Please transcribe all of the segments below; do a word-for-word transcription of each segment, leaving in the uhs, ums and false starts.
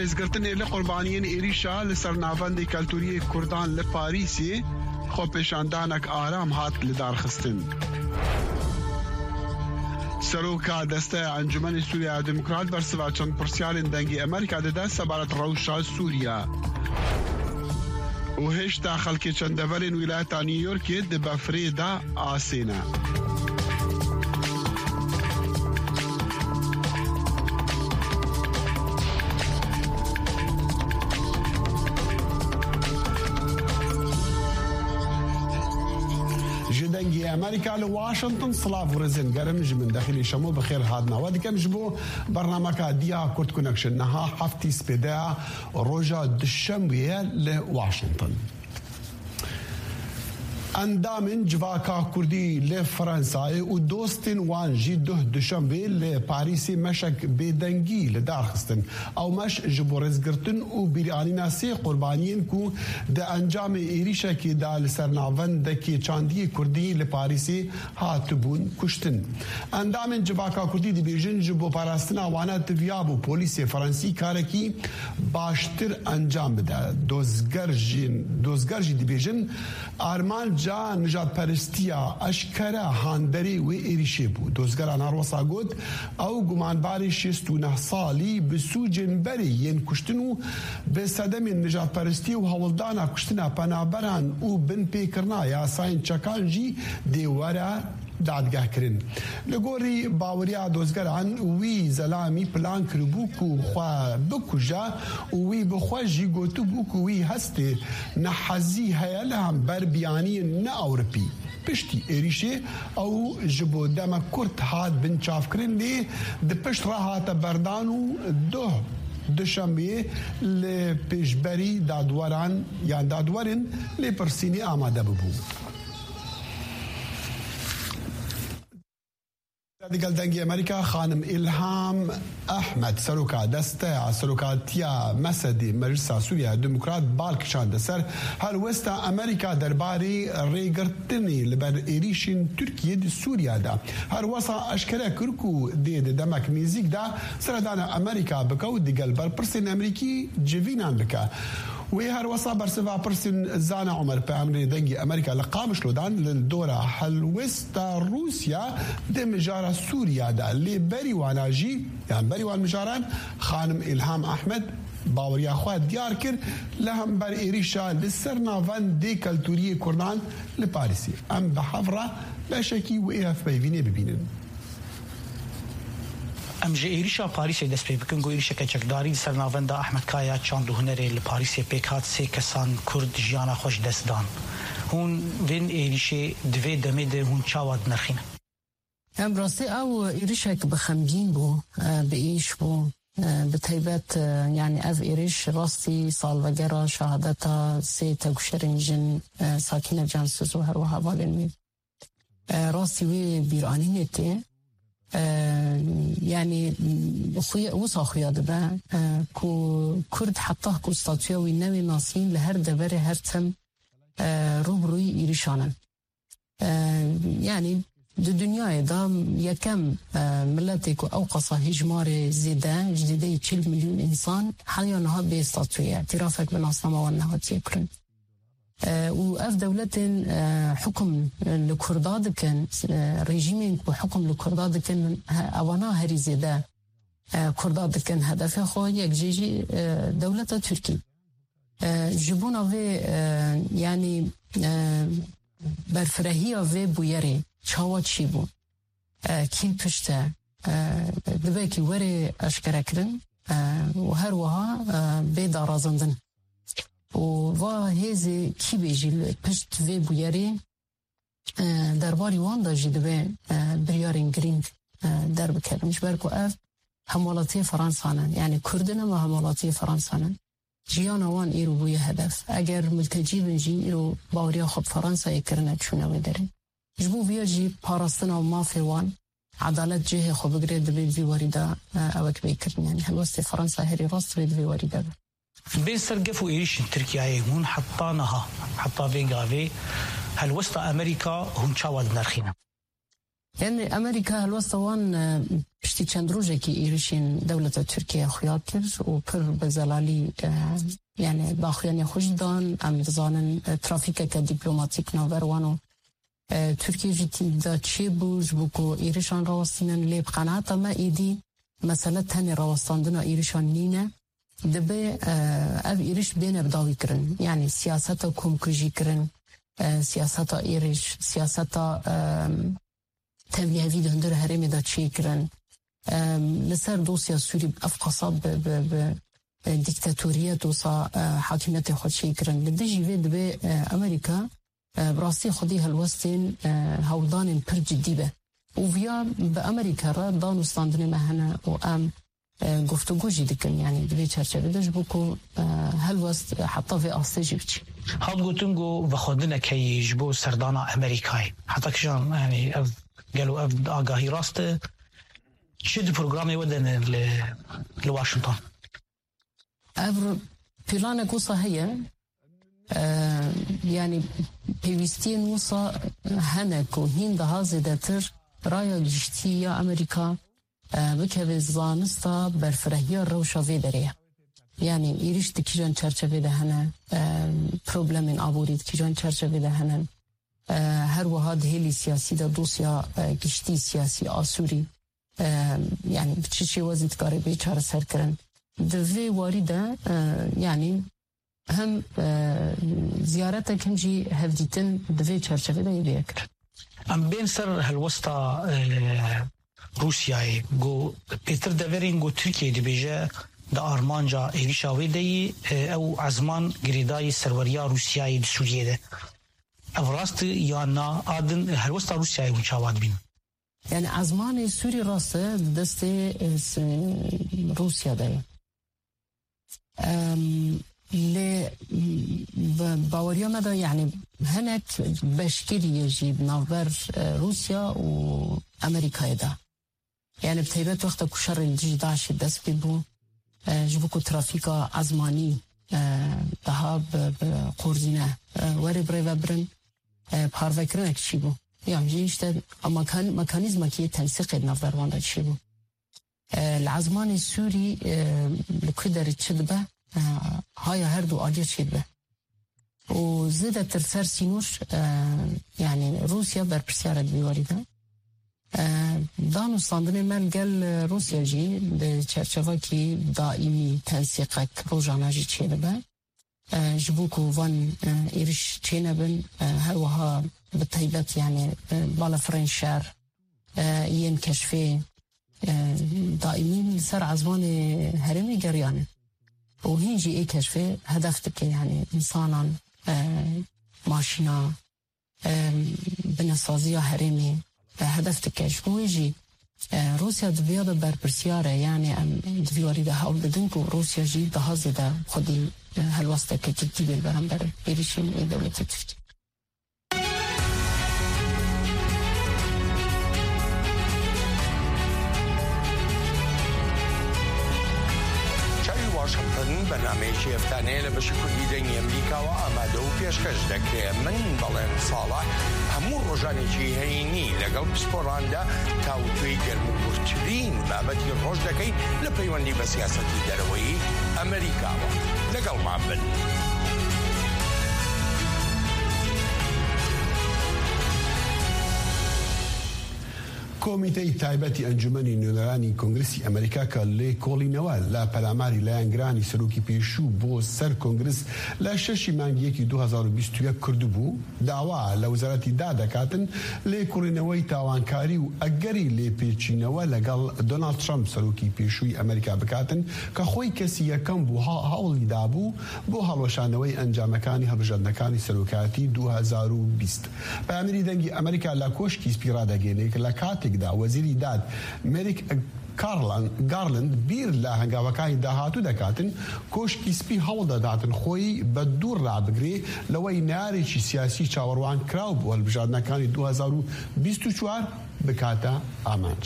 Rêzgirtinê li qurbaniyên êrîşa li ser navendê keltûriyê Kurdan li Parîsê xwepêşandanek aram hat lidarxistin. Seroka Desteya Encûmenê Sûriya Demokrat bersiva çend pirsyarên Dengê Amerîka dide sebaret rewşa Sûriya. Û hêşta xelkê çendeverên wîlayeta New Yorkê di befrê de asê ne. Ji Dengê Amerîka li Washington silav û rêzên germ ji min Dexîlê Şemo bi xêr hatina we dikim ji bo bernameka Diya Kurd Connection. Niha heftî spêdeya roja duşembe ye li Washington. Endamên Civaka Kurdî li Fransayê û dostên wan jî duh duşembe li Parîsê meşek bêdengî li dar xistin. Ew meş ji bo rêzgirtin û bîranîna sê qurbaniyên ku di encamê êrîşekê de li ser navendekê çandiyê Kurdî li Parîsê hatibûn kuştin. Endamên Civaka Kurdî dibêjin, ji bo parastina wane diviyabû polîsê Fransî karekî baştir encam bide. Dozger jî, dozger jî dibêjin, armanca nijadperestiya eşkere handerê wê êrîşê bû. Dozgeran her wisa got, ew gumanbarê şêst û neh salî bi sûcên berê yên kuştin û bi sedemên nijadperestiyê û hewldana kuştina penaberan û binpêkirina yasayên çekan jî dê were dadgehkirin. Li gorî baweriya dozgeran, wî zelamî plan kiribû ku xwe bikuje û wî bi xwe jî gotibû ku wî hestê nehezî heye li hember biyaniyên ne Ewropî. Piştî êrîşê ew ji bo demek kurt hat binçavkirin, lê di pişt re hate berdan û duh duşemiyê li pêşberî dadweran yan dadwerên lêpirsînê amade bibû. Digel Dengê Amerîka, xanim Îlham Ehmed, seroka desteya serokatiya mesedê Meclisa Sûriya Demokrat, bal kişande ser helwesta Amerîka derbarê rêgirtinê li ber êrîşên Tirkiyê di Sûriya de. Her wisa eşkere kir ku dê di demek nêzîk de seredana Amerîka bike û digel berpirsên Amerîkî civînan bike. Wê her wisa bersiva pirsên Zana Omer, peyamnêrê Dengê Amerîka li Qamişlo dan, li dora helwesta Rûsya di mijara Sûriya de. Lê berî wana jî, yan berî wan mijaran, xanim Îlham Ehmed baweriya xwe diyar kir li hember êrîşa li ser navendê keltûrî yê Kurdan li Parîsê. Em bi hev re beşekî wê hevpeyvînê bibînin. Em ji êrîşa Parîsê dest pê bikin, ku êrîşeke çekdarî li ser navenda Ahmed Kaya çand û hunerê li Parîsê pêk hat, sê kesan Kurd jiyana xwe ji dest dan. Hûn vên êrîşê di vê demê de hûn çawa dinirxînin? Em rastî ew êrîşek bi xemgîn bû, e, bi êş bû. E, bi taybet, e, yanî ev êrîş rastî salvegera şehadeta sê tevkuşerên jin, e, Sakîne Cansiz û her wiha hevalên wî. E, rastî wê bîranînê tê. E, yanî xuya, wisa xuya dibe, e, ku Kurd heta ku statûya wî newê nasîn li her deverê her tim, e, rû bi rûyî êrîşan in. E, yanî di dinyayê de yekem, e, miletê ku ew qasa hêjmarê zêde, ji zêdeyî çil milyon însan heta niha bê statû ye. Îtirafek bi nasnama wan nehatiye kirin. E, û ev dewletên, e, hukum li Kurda dikin, e, rejîmên ku hukum li Kurda dikin, he, evana herî zêde, e, Kurda dikin hedefê xwe, yek jê jî, e, dewleta Tirkî. E, ji bona vê, e, yanî, e, berfirehiya vê bûyerê çawa çêbû? E, kî pişt e? E, divê kî were eşkerekirin, e, û her wiha, e, bê darazandin. Û va hêzê kî bê jî li pişt vê bûyerê, e, derbarî wan de jî divê, e, biryarên girîng, e, derbikevin. Ji ber ku ev hemwelatiyê Fransa ne. Yanî Kurd in ama hemwelatiyê Fransa ne. Jiyana wan îro bûye hedef. Eger miltecî bin jî îro baweriya xwe bi Fransayê kirine çûne wê derê. Ji bo viya jî parastina mafê wan, edalet cihê xwe bigire, divê di vî warî de, e, ewek bê kirin. Yanî helwestê Fransa herî rast divê di vê warî de be. Bên ser gef û êrîşên Tirkiyeyê hûn heta niha, heta vê gavê helwesta Amerîka hûn çawa dinirxînin? Yani Amerîka helwesta wan, e, piştî çend rojekî êrişên dewleta Tirkiye xuya kir û pir bi zelalî, e, yani daxuyaniya xwe jî dan. Em dizanin, e, trafîkeke dîplomatîk navber wan û, e, Tirkiye jî tî-, da çêbû ji bo ku êrişan rawestînin, lê bi qenaeta me êdî mesele tenê rawestandina êrişan nîne. Dibe, e, ev êriş bêne bi dawî kirin. Yani siyaseta komkujî kirin, e, siyaseta êriş, siyaseta, e, tevlîhevî di hundir herêmê de çêkirin. E, li ser dosya Sûrî ev qasa bi, bi, bi, e, dîktatoriyet wisa, e, hakimiyetê xwe çêkirin. Li dijî vê dibe, e, Amerîka, e, bi rastî xwedî helwestên, e, hewldanên pir cidî be. Û viya bi Amerîka re dan û standinê me hene û em, e, guftûgû jî dikin, yani di vê çerçevê de ji bo ku, e, helwest, e, heta vê astê jî biçî. Hat gotin ku vexwendineke yê ji bo serdana Amerîkayê. Heta kijan, yani ev gelo ev agahî rast e? Çi di programê we de ne li, li Washington? Ev planek wisa heye. E, yani pêwîstiyên wisa hene ku hîn daha zêdetir raya giştî ya Amerîka, e, bikeve zanista berfirehiya rewşa vê derê ye. Yani êrîş di kîjan çerçevê de hene, e, problemên aborî di kîjan çerçevê de hene. E, her wiha di hêlî siyasî de dosya, e, giştî siyasî a Sûrî, e, yani bi çi şêwazî dikare bê çareserkirin. Di vê warî de, e, yani hem, e, ziyaretek hem jî hevdîtin di vê çerçevê de yê vê ye kirin. Em bên ser helwesta, e, Rûsyayê. Got, pêtir deverên got Tirkiye dibêje di armanca êrişa wê de yî, e, ew ezman girêdayî serweriya Rûsyayê di Sûriyê de. Ev rast e ya na? A din helwesta Rûsyayê hûn çawa dibînin? Yani ezmanê Sûrî rast e, di destê, e, s-, Rûsya de ye. Em, lê, m, bi baweriya me de, yani hinek beşkiriyê jî di navber, e, Rûsya û Amerîkayê de. Yani bi taybet wexta ku şerê li dijî DAIŞê dest pê bû, e, ji bo ku trafîka ezmanî, e, daha bi, bi qorzîne, e, were birêvebirin, e, parvekirinekî çêbû. Yan jî işte mekan-, mekanîzmekî yê tensîqê di navber wan de çêbû. E, li ezmanê Sûrî, e, li ku derê çi dibe, e, haya her du aliyê çêdibe. Û zêdetir ser sînor, e, yani Rûsya berpirsiyar e di vî warî de. E, dan û standinê me li gel Rûsya jî di çerçevekî daîmî tensîqek rojane jî çêdibe. E, ji bo ku van, e, êriş çênebin, e, her wiha bi taybet, yani, e, balafirên şer, e, yên keşfê, e, daîmî li ser ezmanê herêmê geriyane. Û hîn jî ê keşfê hedef dike, yani, însanan, e, maşîna, e, binesaziya herêmê, e, hedef dike. Ji bo wê jî, e, Rûsya di vêya de berpirsiyar e, yani em di vî warî de hewl didin ku Rûsya jî daha zêde xwedî, e, helwesteke cidî bê li beramber êrişên ê dewletê Tirkî. Çavi Washington بەرنامەیەکی هەفتانەیە لە بەشی کوردی دەنگی ئەمریکاوە ئامادە و پێشکەش دەکرێت. من بەڵێن ساڵح هەموو ڕۆژانێکی هەینی لەگەڵ پسپۆراندا تاوتوێی گەرموگورترین بابەتی ڕۆژ دەکەین لە پەیوەندی بە سیاسەتی دەرەوەی ئەمریکاوە. لەگەڵمان بن. کۆمیتەی تایبەتی ئەنجومەنی نوێنەرانی کۆنگرسی ئەمریکا کە لێکۆڵینەوە لە پەلاماری لایەنگرانی سەرۆکی پێشوو بۆ سەر کۆنگرس لە شەشی مانگی یەکی دوو هەزار و بیست و یەک کردبوو، داوا لە وزارەتی دا دەکاتن لێکۆڵینەوەی تاوانکاری و ئەگەری لێپێچینەوە لەگەڵ دۆناڵد ترەمپ سەرۆکی پێشووی ئەمریکا بکاتن کە خۆی کەسی یەکەم بوو هە-، هەوڵی دابوو بۆ هەڵوەشانەوەی ئەنجامەکانی هەڵبژاردنەکانی سەرۆکایەتی دوو هەزار و بیست. پەیامنێری دەنگی ئەمریکا لە کۆشکی سپی ڕادەگەێنێ کە لە کاتێکدا وەزیری داد مێریک کارلان-، گارلند بیر لە هەنگاوەکانی داهاتوو دەکاتن، کۆشکی سپی هەوڵ دەداتن خۆی بە دوور ڕابگرێ لەوەی نارێکی سیاسی چاوەڕوان کراو بۆ هەڵبژاردنەکانی دوو هەزار و بیست و چوار بکاتە ئامانج.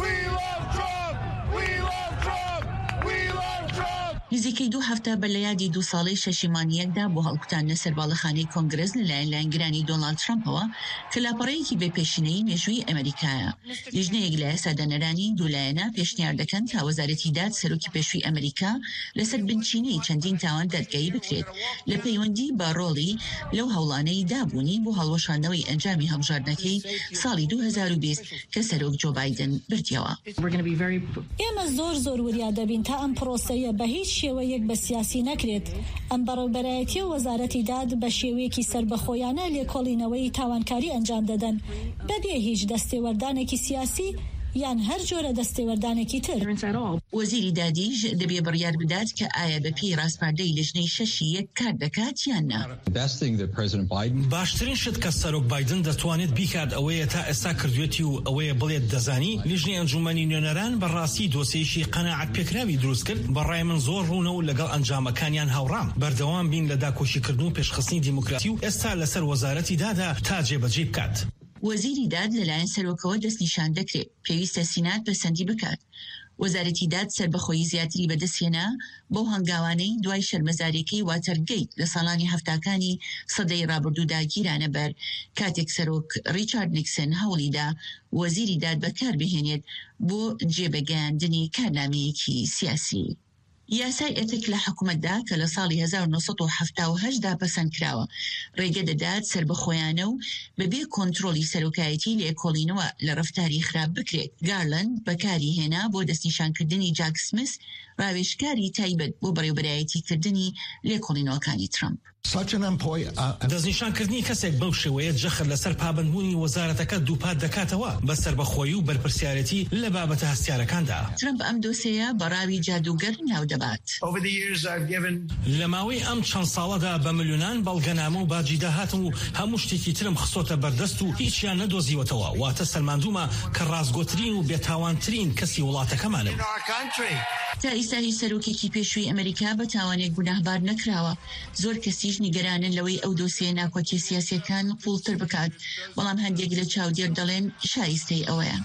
We love Trump! We love Trump! We love Trump! نزیکەی دوو هەفتە بەر لە یادی دوو ساڵەی شەشیمانیەکدا بۆ هەڵکوتاندنە سەر باڵەخانەی کۆنگرس لەلایەن لایەنگرانی دۆناڵد ترەمپەوە، کە لاپەڕەیەکی بێ پێشینەی مێژووی ئەمریکایە. لیژنەیەک لە یاسادانەرانی دوو لایەنە پێشنیار دەکەن تا وەزارەتی داد سەرۆکی پێشووی ئەمریکا لەسەر بنچینەی چەندین تاوان دادگایی بکرێت، لە پەیوەندی بە ڕۆڵی لەو هەوڵانەی دابوونی بۆ هەڵوەشاندنەوەی ئەنجامی هەڵبژاردنەکەی ساڵی دوو هەزار و بیست کە سەرۆک جۆ بایدن بردیەوە. ئێمە زۆر زۆر وریا دەبین تا ئەم پرۆسەیە بە هیچ شێوەیەک بە سیاسی نەکرێت. ئەم بەڕێوبەرایەتیە و وەزارەتی داد بە شێوەیەکی سەربەخۆیانە لێکۆڵینەوەی تاوانکاری ئەنجام دەدەن، بەبێ هیچ دەستێوەردانێکی سیاسی یان هەر جۆرە دەستێوەردانێکی تر. وەزیری دادیش دەبێ بڕیار بدات کە ئایا بە پێی ڕاسپاردەی لیژنەی شەشی یەک کار دەکات یان نا. باشترین شت کە سەرۆک بایدن دەتوانێت بیکات ئەوەیە تا ئێستا کردوێتی و ئەوەیە بڵێت دەزانی لیژنەی ئەنجومەنی نوێنەران بەڕاستی دۆسیەیەکی قەناعەت پێکراوی دروست کرد، بەڕای من زۆر ڕوونە و لەگەڵ ئەنجامەکانیان هاوڕام. بەردەوام بین لە داکۆکیکردن و پێشخستنی دیموکراسی و ئێستا لەسەر وەزارەتی دادا تا جێبەجێی بکات. وەزیری داد لەلایەن سەرۆکەوە دەستنیشان دەکرێت، پێویستە سینات پەسەندی بکات. وەزارەتی داد سەربەخۆیی زیاتری بەدەستهێنا بەو هەنگاوانەی دوای شەرمەزاریەکەی واتەرگەیت لە ساڵانی هەفتاکانی سەدەی ڕابردوودا گیرانە بەر، کاتێک سەرۆک ڕیچارد نیکسن هەوڵیدا وەزیری داد بەکار بهێنێت بۆ جێبەگەیاندنی کارنامەیەکی سیاسی. یاسای ئەتک لە حکومەتدا کە لە ساڵی هەزار و نۆ سەد و حەفتا و هەشت دا پەسەند کراوە، ڕێگە دەدات سەربەخۆیانە و بەبێ کۆنترۆلی سەرۆکایەتی لێکۆڵینەوە لە ڕەفتاری خراپ بکرێت. گارلند بەکاری هێنا بۆ دەستنیشانکردنی جاک سمیس، ڕاوێژکاری تایبەت بۆ بەڕێوبەرایەتیکردنی لێکۆڵینەوەکانی ترەمپ. دەستنیشانکردنی کەسێک بەو شێوەیە جەخت لەسەر پابەندبوونی وەزارەتەکە دووپات دەکاتەوە بە سەربەخۆیی و بەرپرسیارەتی لە بابەتە هەستیارەکاندا. ترەمپ ئەم دۆسێیە بە ڕاوی جادووگەر ناو دەبات. لە ماوەی ئەم چەند ساڵەدا بە ملیۆنان بەڵگەنامە و باجی داهاتم و هەموو شتێکی ترم خستۆتە بەردەست و هیچیان نەدۆزیوەتەوە، واتە سەلماندوومە کە ڕاستگۆترین و بێتاوانترین کەسی وڵاتەکەمانم. تا ئیستا هیچ سەرۆکێکی پێشووی ئەمریکا بە تاوانێک گوناهبار نەکراوە. زۆر کەسیش نیگەرانن لەوەی ئەو دۆسیە ناکۆکیە سیاسیەکان قوڵتر بکات، بەڵام هەندێک لە چاودێر دەڵێن شایستەی ئەوەیە.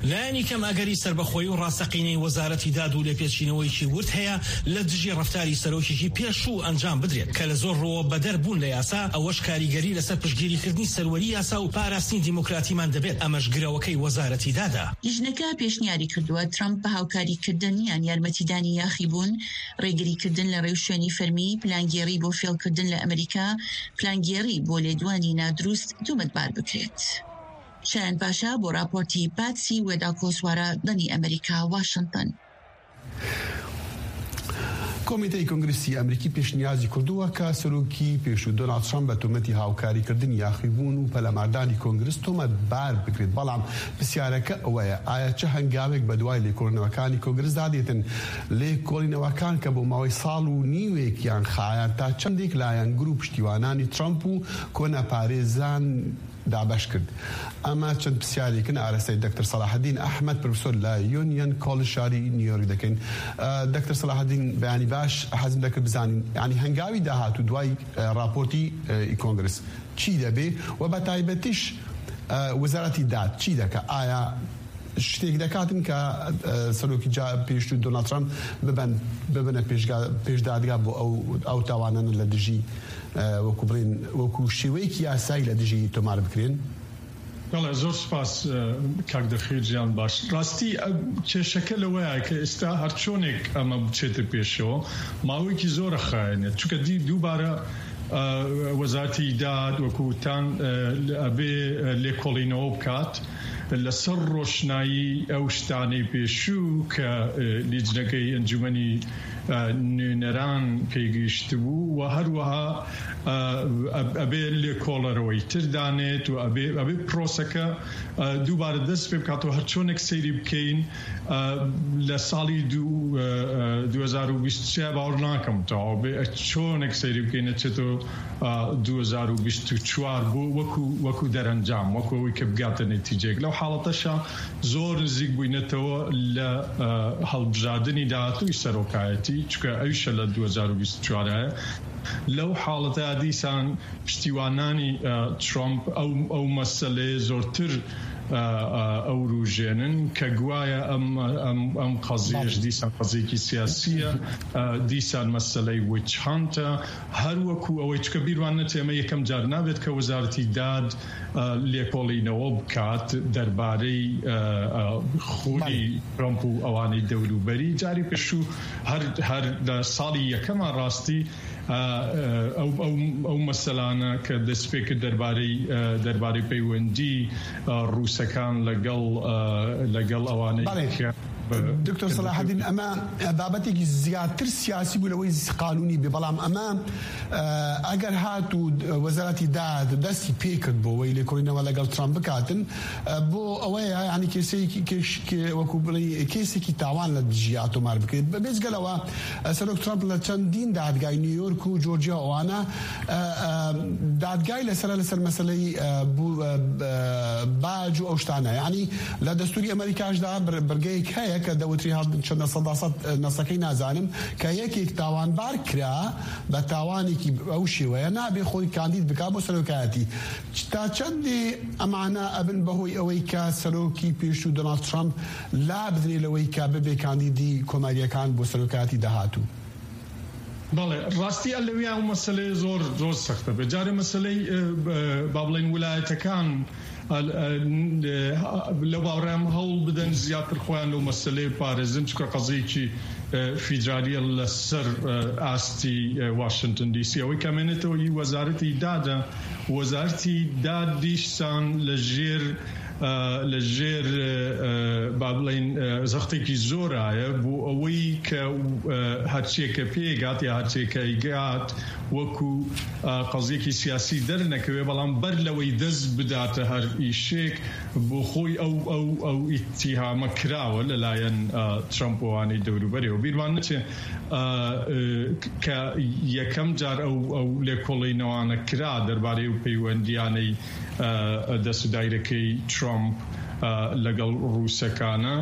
لایەنی کەم ئەگەری سەربەخۆیی و ڕاستەقینەی وەزارەتی داد و لێپێچینەوەیکی ورد هەیە لە دژی ڕەفتاری سەرۆکێکی پێشوو ئەنجام بدرێت کە لە زۆر ڕووەوە بەدەر بوون لە یاسا، ئەوەش کاریگەری لەسەر پشتگیریکردنی سەروەری یاسا و پاراستنی دیموکراتیمان دەبێت، ئەمەش گرەوەکەی وەزارەتی دادە. لیژنەکە پێشنیاری کردووە ترەمپ بە هاوکاریکردن یان یارمەتیدانی یاخیبوون، ڕێگریکردن لە ڕێوشوێنی فەرمی، پلانگێڕی بۆ فێڵکردن لە ئەمریکا، پلانگێڕی بۆ لێدوانی نادروست تۆمەتبار بکرێت. شایان پاشا بۆ راپۆرتی پاتسی وێداکۆسوارە، دەنی ئەمریکا، واشنگتن. کۆمیتەی کۆنگرسی ئەمریکی پێشنیازی کردووە کە سەرۆکی پێشوو دۆناڵد ترەمپ بە تۆمەتی هاوکاریکردنی یاخیبوون و پەلەماردانی کۆنگرس تۆمەتبار بکرێت، بەڵام پرسیارەکە ئەوەیە ئایا چه هەنگاوێک بە دوای لێکۆڵینەوەکانی کۆنگرسدا دێتن؟ لێکۆڵینەوەکان کە بۆ ماوەی ساڵ و نیوێکیان خایاند، تا چەندێک لایەنگر و پشتیوانانی ترەمپ و کۆنەپارێزان دابەش کرد؟ ئەمە چەند پرسیارێکن ئاراستەی دکتۆر سەلاحەدین ئەحمەد، پرۆفسۆر لە یونیەن کۆلژ شاری نیویۆرک دەکەین. دکتۆر سەلاحەدین، بەیانی باش، حەزم دەکرد بزانین یعنی هەنگاوی داهاتوو دوای راپۆرتی کۆنگرس چی دەبێ و بە تایبەتیش وەزارەتی داد چی دەکە؟ ئایا شتێک دەکاتن کە سەرۆکی جا پێشتر دۆناڵد ترامپ ببن ببنە پێشگا پێشدادگا بۆ ئەو ئەو تاوانانە لە دژی وەکو بڵێن وەکو شێوەیەکی یاسایی لە دژی تۆمار بکرێن؟ بەڵێ، زۆر سپاس کاک دەخیر جیان. باش، ڕاستی کێشەکە لەوەیە کە ئێستا هەرچۆنێک ئەمە بچێتە پێشەوە ماوەیەکی زۆرە خایەنێت، چونکە دی دووبارە وەزارەتی داد وەکوتان ئەبێ لێکۆڵینەوە بکات لەسەر ڕۆشنایی ئەو شتانەی پێشوو کە لیجنەکەی ئەنجومەنی نوێنەران پێگەیشت بوو و هەروەها ئەبێ لێکۆڵەرەوەی تر دانێت و ئەبێ ئەبێ پرۆسەکە دووبارە دەست پێ بکاتەوە. هەرچۆنێک سەیری بکەین لە ساڵی دوو هەزار و بیست و سێ باوەڕ ناکەم تەواو بێ، چۆنێک سەیری بکەین نەچێتەوە دوو هەزار و بیست و چوار بۆ وەکو وەکو دەرەنجام، وەکو ئەوەی کە بگاتە نەتیجەیەک. لەو حاڵەتەشە زۆر نزیک بووینەتەوە لە هەڵبژاردنی داهاتووی سەرۆکایەتی، چونکە ئەویشە لە دوو هەزار و بیست و چوار هەیە. لەو حاڵەتە دیسان پشتیوانانی ترامپ ئەو ئەو مەسەلەیە زۆرتر ئە، ئە، ئەوروژێنن کە گوایە ئەم، ئەم، ئەم قەزیەش دیسان قەزیەکی سیاسیە، ئە، دیسان مەسەلەی witch hunt-ە، هەر وەکو ئەوەی چکە بیروان نەچێمە یەکەم جار نابێت کە وەزارەتی داد، ئە، لێکۆڵینەوە بکات دەربارەی، ئە، ئە، خۆی ترەمپ و ئەوانەی دەوروبەری. جاری پێشوو هەر، هەر لە ساڵی یەکەما ڕاستی، ئە، ئە، ئەو، ئەو، ئەو مەسەلانە کە دەست پێ کرد دەربارەی، ئە، دەربارەی پەیوەندی، ئە، ڕووسەکان لەگەڵ، ئە، لەگەڵ ئەوانەی بەڵێ. کە بە-، دکتۆر سەلاحەدین، ئەمە بابەتێکی زیاتر سیاسی بوو لەوەی قانونی بێ، بەڵام ئەمە، ئە، ئەگەر هات و وەزارەتی داد دەستی پێ کرد بۆ ئەوەی لێکۆڵینەوە لەگەڵ ترامپ بکاتن، ئە، بۆ ئەوەیە، یعنی، کێسەیەکی کێش-، کێ-، وەکو بڵێ، کێسێکی تاوان لە دژی ئاتۆمار بکرێت. بە-، بێجگەلەوە، ئە، سەرۆک ترامپ لە چەندین دادگای نیویۆرک و جۆرجیا ئەوانە، ئە، ئە، دادگای لەسەر، لەسەر مەسەلەی، ئە، بوو-، ئە، ئە، باج و ئەو شتانە. یعنی، لە دەستوری ئەمریکاشدا بر-، بڕگەیەک هەیە کە دەوتری هەڵ-، چەند سەدا سەد نەسەکەی نازانم، کە یەکێک تاوانبار کرا بە تاوانێکی ئەو شێوەیە، نابێ خۆی کاندید بکا بۆ سەرۆکایەتی. تا چەندێ ئەمانە ئەبن بەهۆی ئەوەی کە سەرۆکی پێشوو دۆناڵد ترامپ لا بدرێ لەوەی کە ببێ کاندیدی کۆماریەکان بۆ سەرۆکایەتی داهاتوو؟ بەڵێ، ڕاستی ئە لەویا ئەو مەسەلەیە زۆر، زۆر سەختە بێ. جارێ مەسەلەی، ئە، ئە، با بڵێن ویلایەتەکان، ئە، ئە، ئە، لەو باوەڕەیان هەوڵ بدەن زیاتر خۆیان لەو مەسەلەیە پارێزن، چونکە قەزەیەکی، ئە، فیدرالیە لەسەر، ئە، ئاستی، ئە، واشنگتن دی سی. ئەوەی کە مێنێتەوە ئی وەزارەتی دادە، وەزارەتی داد دیشسان لە ژێر، ئە، لە ژێر، ئە، با بڵێن، ئە، زەختێکی زۆرایە بۆ ئەوەی کە، ئە، هەرچیەکە پێگات یا هەرچیەکە ئیگات وەکو، ئە، قەزیەکی سیاسی دەرنەکەوێ، بەڵام بەر لەوەی دەست بداتە هەر ئیشێک بۆ خۆی ئەو، ئەو، ئەو ئیتیهامە کراوە لەلایەن، ئە، ترەمپ و ئەوانەی دەوروبەرەوە. بیرمان نەچێ، ئە، ئە، کە یەکەم جار ئەو، ئەو لێکۆڵینەوانە کرا دەربارەی ئەو پەیوەندیانەی، ئە، دەست و دایرەکەی ترامپ، ئە، لەگەڵ ڕووسەکانە.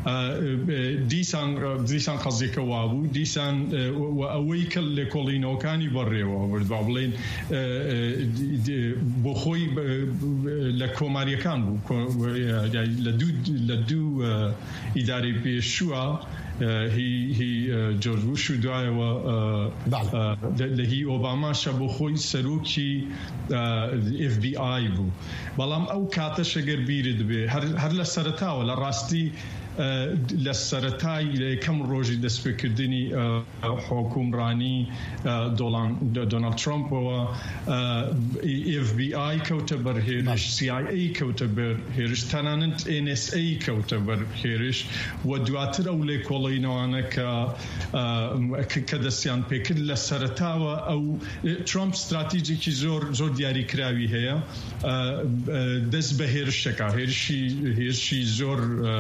ئە، ئە، دیسان، دیسان قەزیەکە وابوو، دیسان، ئە، و، و ئەوەی کە لێکۆڵینەوەکانی بەڕێوە برد، با بڵێن، ئە، ئە، دی-، دی-، بۆ خۆی بە-، لە کۆماریەکان بوو، کۆ-، لە دوو، لە دوو، ئە، ئیدارەی پێشووە، ئە، هی، هی، ئە، جۆرج بوش و دوایەوە، ئە، بەڵێ. ئە، لە، لە هی ئۆباماشە بۆ خۆی سەرۆکی، ئە، ئێف بی ئای بوو. بەڵام ئەو کاتەش ئەگەر بیرت بێ، هەر، هەر لە سەرەتاوە، لە ڕاستی، ئە، لە سەرەتای، لە یەکەم ڕۆژی دەستپێکردنی، ئە، حکومڕانی، ئە، دۆڵان-، دۆناڵد ترامپەوە، ئە، ئێف بی ئای کەوتە بەر هێرش، بەڵێ. سی ئای ئەی کەوتە بەر هێرش، تەنانەت ئێن ئێس ئەی کەوتە بەر هێرش و دواتر ئەو لێکۆڵینەوانە کە، ئە، کە، کە دەستیان پێکرد لە سەرەتاوە ئەو، ئە، ترامپ استراتیجێکی زۆر، زۆر دیاریکراوی هەیە، ئە، ئە، دەست بە هێرشەکە، هێرشی، هێرشی زۆر، ئە،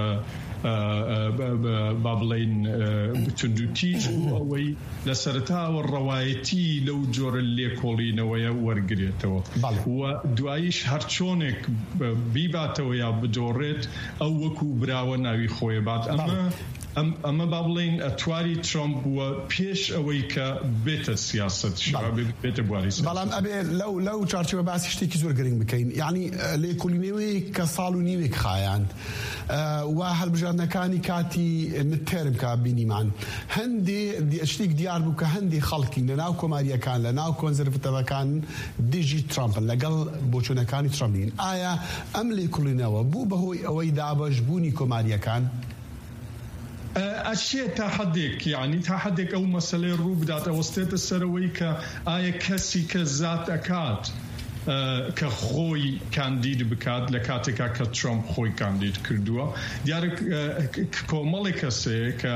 ئە، ئە، بە، بە، با بڵێن، ئە، توند و تیژ بوو ئەوەی لە سەرەتاوە ڕەوایەتی لەو جۆرە لێکۆڵینەوەیە وەرگرێتەوە. بەڵێ. و دواییش هەر چۆنێک ب-، بیباتەوە یا بدۆڕێت، ئەو وەکو براوە ناوی خۆیە بات. ئەمە، بەڵێ. ئەم-، ئەمە با بڵێن ئەتواری ترامپ بووە پێش ئەوەی کە بێتە سیاسەت، بەڵێ. بێ-، بێتە بواری سیاسەت. بەڵام ئەبێ لەو، لەو چارچێوە باسی شتێکی زۆر گرنگ بکەین. یعنی، ئە، لێکۆڵینەوەیەک کە ساڵ و نیوێک خایاند، ئە، و هەڵبژاردنەکانی کاتی متتێرم کە بینیمان. هەندێ دی-، شتێک دیار بوو کە هەندێ خەڵکی لە ناو کۆماریەکان، لە ناو کۆنزەرڤەتەڤەکان دژی ترامپن، لەگەڵ بۆچوونەکانی ترامپ نین. ئایا ئەم لێکۆڵینەوە بوو بەهۆی ئەوەی دابەش بوونی کۆماریەکان؟ ئە، ئەشێ تا حەدێک، یعنی تا حەدێک ئەو مەسەلەی ڕوو بدات، ئەوەستێتە سەرەوەی کە ئایا کەسی کە زات ئەکات، ئە، کە خۆی کاندید بکات لە کاتێکا کە ترامپ خۆی کاندید کردووە. دیارە، ئە، ک-، ک-، کۆمەڵی کەسێ کە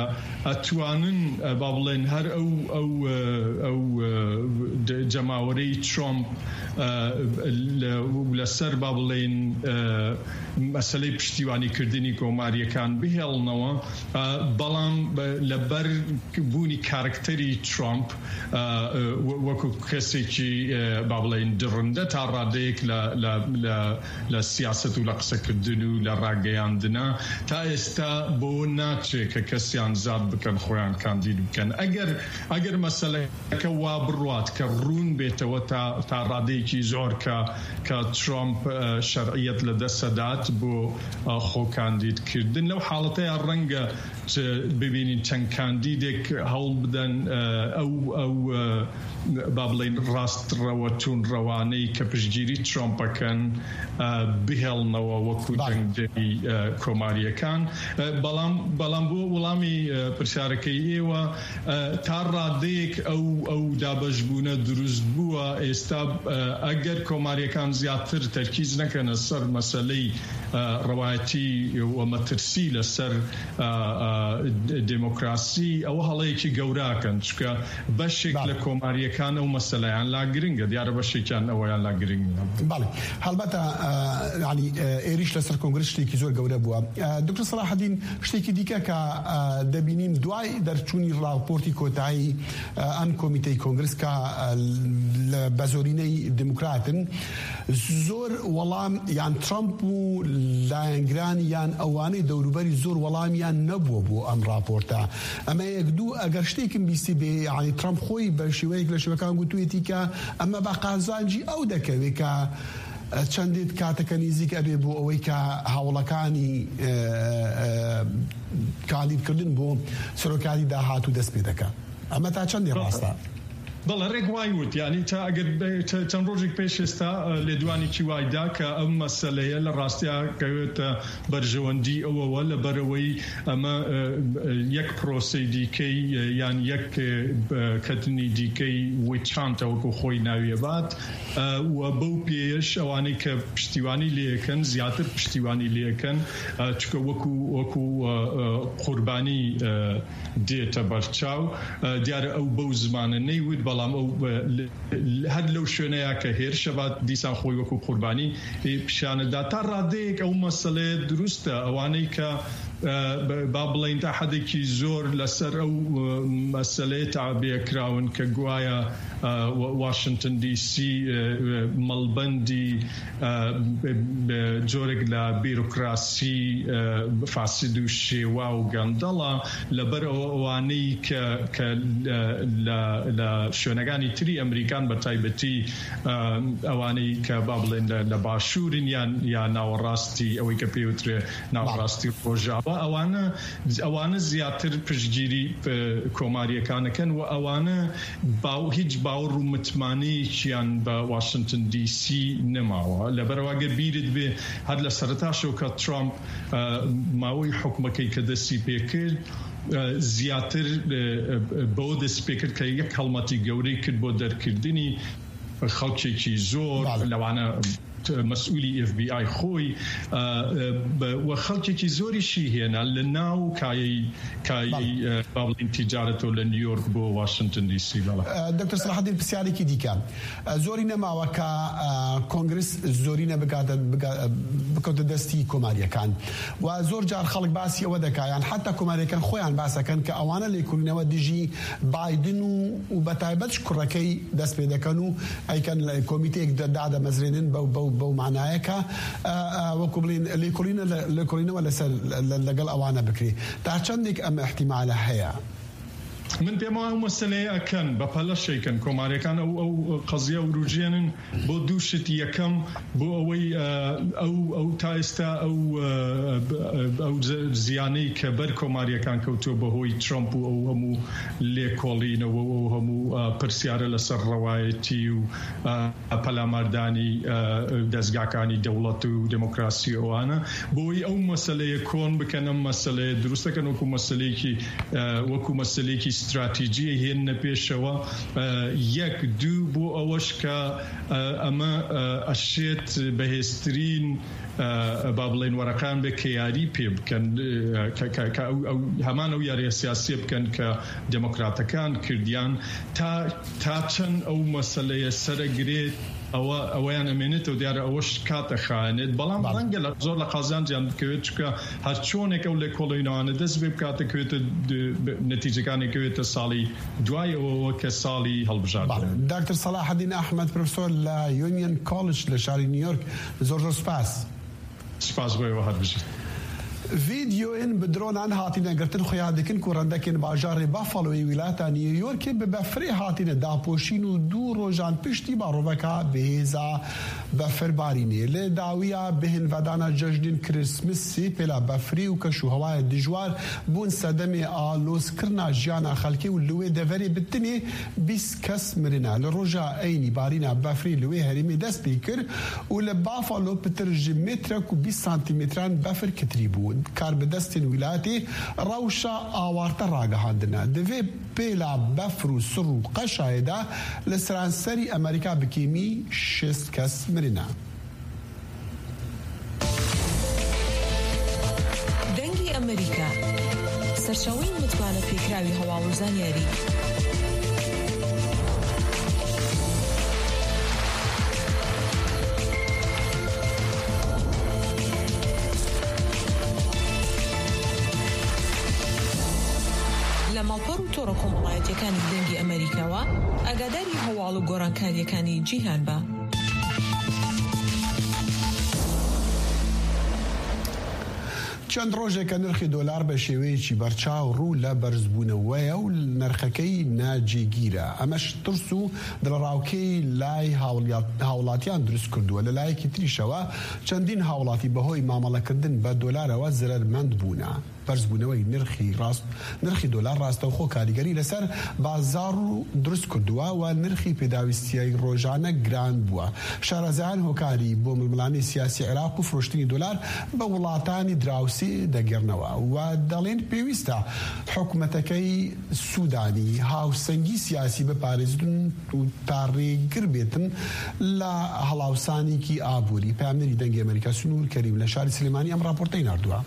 ئەتوانن، ئە، با بڵێن هەر ئەو، ئەو، ئە، ئەو، ئە، د-، جەماوەرەی ترامپ، ئە، لە، لەسەر با بڵێن، ئە، مەسەلەی پشتیوانیکردنی کۆماریەکان بهێڵنەوە، ئە، بەڵام بە-، لەبەر بوونی کارکتەری ترامپ، ئە، ئە، وە-، وەکو کەسێکی، ئە، با بڵێن دڕندە تا ڕادەیەک لە، لە، لە، لە سیاسەت و لە قسەکردن و لە ڕاگەیاندنە، تا ئێستا بۆ ناچێ کە کەسیان زاد بکەن خۆیان کاندید بکەن. ئەگەر، ئەگەر مەسەلەکە وا بڕوات کە ڕوو بێتەوە تا، تا ڕادەیەکی زۆر کە، کە ترامپ، ئە، شەرعیەت لە دەست دەدات بۆ، ئە، خۆکاندیدکردن. لەو حاڵەتەیە ڕەنگە چ-، ببینین چەند کاندیدێک هەوڵ بدەن، ئە، ئەو، ئەو، ئە، با بڵێن ڕاستڕەوە توون ڕەوانەی کە پشتگیری ترامپەکەن، ئە، بهێڵنەوە وەکو بەڵێ. دەنگدەری، ئە، کۆماریەکان. ئە، بەڵام، بەڵام بۆ وەڵامی، ئە، پرسیارەکەی ئێوە، ئە، تا ڕادەیەک ئەو، ئەو دابەشبوونە دروست بووە. ئێستا، ئە، ئەگەر کۆماریەکان زیاتر تەرکیز نەکەنە سەر مەسەلەی، ئە، ڕەوایەتی و مەترسی لەسەر، ئە، ئە، دموکراسی، ئەوە هەڵەیەکی گەوراکەن، چونکە بەشێک بەڵێ. لە کۆماریەکان ئەو مەسەلەیان لا گرنگە، دیارە بەشێکیان ئەوەیان لا گرنگ نییە. بەڵێ، هەڵبەتە، ئە، یعنی، ئە، ئێریش لەسەر کۆنگرس شتێکی زۆر گەورە بووە. ئە، دکتۆر سەلاحەدین، شتێکی دیکە کە، ئە، دەبینین دوای دەرچوونی راپۆرتی کۆتایی، ئە، ئەم کۆمیتەی کۆنگرس کە، ئە، لە بەزۆرینەی دموکراتن، زۆر وەڵام، یان ترامپ و لایەنگرانی یان ئەوانەی دەوروبەری زۆر وەڵامیان نەبووە بۆ ئەم راپۆرتە. ئەمە یەک دوو، ئەگەر شتێکم بیستی بێ، یعنی ترامپ خۆی بە شێوەیەک لە شێوەکان گوتوێتی کە ئەمە بە قازانجی ئەو دەکەوێت کە، ئە، چەندێت کاتەکە نزیک ئەبێ بۆ ئەوەی کە هەوڵەکانی، ئە، ئە، کاندیدکردن بۆ سەرۆکاتی داهاتوو دەست پێ دەکات. ئەمە تا چەندێ ڕاستە؟ بەڵێ، ڕێک وای وت، یعنی تا ئەگەر بە-، چە-، چەند ڕۆژێک پێش ئێستا، ئە، لێدوانێکی وای دا کە ئەم مەسەلەیە لە ڕاستیا کەوێتە بەرژەوەندی ئەوەوە، لەبەرەوەی ئەمە، ئە، ئە، یەک پرۆسەی دیکەی، ئە، یان یەک، ئە، کەتنی دیکەی witch hunt وەکو خۆی ناویە بات، ئە، و بەو پێیەش ئەوانەی کە پشتیوانی لێەکەن زیاتر پشتیوانی لێەکەن، ئە، چکە وەکو، وەکو، ئە، ئە، قوربانی، ئە، دێتە بەرچاو. ئە، دیارە ئەو بەو زمانە نەیوت، بەڵام ئەو، ئە، ل-، ل-، هەر لەو شوێنەیە کە هێرشە بات، دیسان خۆی وەکو قوربانی، ئێ، پیشانەدا. تا ڕادەیەک ئەو مەسەلەیە دروستە، ئەوانەی کە، ئە، ب-، با بڵێن تا حەدێکی زۆر لەسەر ئەو، ئە، مەسەلەیە تابێ کراون کە گوایە، ئە، و-، واشنگتن دی سی، ئە، ئە، مەڵبەندی، ئە، ب-، ب-، جۆرێک لە بیرۆکراسی، ئە، فاسد و شێوا و گەندەڵە، لەبەر ئەوە ئەوانەی کە، کە لە، لە، لە شوێنەکانی تری ئەمریکان بە تایبەتی، ئە، ئەوانەی کە با بڵێن لە، لە باشوورن یان، یا ناوەڕاستی ئەوەی کە پێوترێ ناوەڕاستی ڕۆژاوا، ئەوانە، ئەوانە زیاتر پشتگیری، ئە، کۆماریەکانەکەن و ئەوانە باو-، هیچ باوەڕ و متمانەیەکیان بە واشنگتن دی سی نەماوە. لەبەرەوە گەر بیرت بێ هەر لە سەرتاشەوە کە ترامپ، ئە، ماوەی حکومەکەی کە دەستی پێکرد، ئە، زیاتر، ئە، ئە، بەوە دەستی پێکرد کە یەک هەڵمەتی گەورەی کرد بۆ دەرکردنی خەڵکێکی زۆر، بەڵێ. لەوانە مەسئولی ئێف بی ئای خۆی، ئە، ئە، بە-، و خەڵکێکی زۆریشی هێنا لە ناو کایەی، کایەی، بەڵێ. ئە، با بڵێن تیجارەتەوە لە نیویۆرک بۆ واشنگتن دی سی، بەڵێ. ئە، دکتۆر سەلاحەدین، پرسیارێکی دیکە. ئە، زۆری نەماوە کە، ئە، کۆنگرس زۆرینە بگاتە، بگا-، بکەوتە دەستی کۆماریەکان. و زۆر جار خەڵک باسی ئەوە دەکا، یان حتا کۆماریەکان خۆیان باسەکەن کە ئەوانە لێکۆلینەوە دژی بایدن و، و بە تایبەت کوڕەکەی دەست پێ دەکەن و ئەیکەن لە کۆمیتەیەک دە-، دادەمەزرێنن بەو، بەو، بەو مانایە کە، ئە، ئە، وەکو بڵێن لێکۆلینە لە، لێکۆلینەوە لەسەر، لە، لە، لەگەڵ ئەوانە بکرێ. تا چەندێک ئەم ئیحتیمالە هەیە؟ من پێم وایە ئەو مەسەلەیە ئەکەن، بە پەلە شەیکەن. کۆماریەکان ئەو، ئەو قەزیە وروژێنن بۆ دوو شت. یەکەم، بۆ ئەوەی، ئە، ئەو، ئەو تا ئێستا ئەو، ئە، ئەو ز-، زیانەی کە بەر کۆماریەکان کەوتووە بەهۆی ترامپ و ئەو هەموو لێکۆڵینەوە و ئەو هەموو، ئە، پرسیارە لەسەر ڕەوایەتی و، ئە، پەلاماردانی، ئە، دەستگاکانی دەوڵەت و دموکراسی ئەوانە، بۆی ئەو مەسەلەیە کۆن بکەن، ئەم مەسەلەیە دروست دەکەن وەکو مەسەلەیەکی، ئە، وەکو مەسەلەیەکی استراتیجی هێننە پێشەوە. ئە، یەک، دوو، بۆ ئەوەش کە، ئە، ئەمە، ئە، ئەشێت بەهێزترین، ئە، با بڵێن وەرەقان بێ کە یاری پێ بکەن، ئە، کە، کە، کە ئەو، ئەو، هەمان ئەو یاریە سیاسیە بکەن کە دموکراتەکان کردیان. تا، تا چەند ئەو مەسەلەیە سەرەگرێت، ئەوە، ئەوەیان ئەمێنێتەوە، دیارە ئەوەش کاتە خایەنێت. بەڵام بەڵێ. ڕەنگە لە زۆر لە قازانجیان بکەوێت، چونکە هەر چۆنێک ئەو لێکۆڵینەوانە دەست بێ بکاتە کەوێتە د-، ب-، نەتیجەکانی کەوێتە ساڵی دوای ئەوەوە کە ساڵی هەڵبژاردن. بەڵێ. دکتۆر سەلاحەدین ئەحمەد، پرۆفسۆر لە یونیەن کۆلج لە شاری نیویۆرک، زۆر زۆر سپاس. سپاس بۆ ئێوە، هەر بژیت. Vîdeoyên bi dronan hatine girtin xuya dikin ku rendekên bajarê Buffaloyê wîlata New Yorkê bi befrê hatine dapoşîn û du rojan piştî baroveka bi hêza befirbarînê. Li dawiya bihinvedana cejnên Kirismesê pêla befrê û keş û hewayê dijwar bûn sedemê alozkirina jiyana xelkê û li wê deverê bi tinê bîst kes mirine. Li roja eynî barîna befrê li wê herêmê dest pê kir û li Buffalo pitir ji metrek û bîst santîmetran befir kitirî bû. Karbidestên wîlayetê rewşa awarte ragihandine. Di vê pêla befr û sir û qeşayê de li seranserî Amerîka bi kêmî şêst kes mirine. دەنگی ئەمریکا، سەرچاوەی متمانە پێکراوی هەواڵ و زانیاری. لە ماڵپەڕ و تۆڕە کۆمەڵایەتیەکانی دەنگی ئەمریکاوە ئاگاداری هەواڵ و گۆڕانکاریەکانی جیهان بە. چەند ڕۆژێکە نرخی دۆلار بە شێوەیەکی بەرچاو ڕوو لە بەرزبوونەوەیە و نرخەکەی ناجێگیرە. ئەمەش ترس و دڵەڕاوکێی لای هاوڵات-، هاوڵاتیان دروست کردووە. لە لایەکی تریشەوە چەندین هاوڵاتی بەهۆی مامەڵەکردن بە دۆلارەوە زەرەرمەند بوونە. بەرزبوونەوەی نرخی ڕاست، نرخی دۆلار ڕاستەوخۆ کاریگەری لەسەر بازار و دروست کردووە و نرخی پێداویستیای ڕۆژانە گران بووە. شارەزایان هۆکاری بۆ ململانەی سیاسی عێراق و فرۆشتنی دۆلار بە وڵاتانی دراوسێ دەگەڕنەوە و دەڵێن پێویستە حکومەتەکەی سوودانی هاوسەنگی سیاسی بپارێزن و تا ڕێگر بێتن لە هەڵاوسانێکی ئابووری. پامنەری دەنگی ئەمریکا سنوور کەریم لە شاری سلێمانی ئەم راپۆرتەی ناردووە.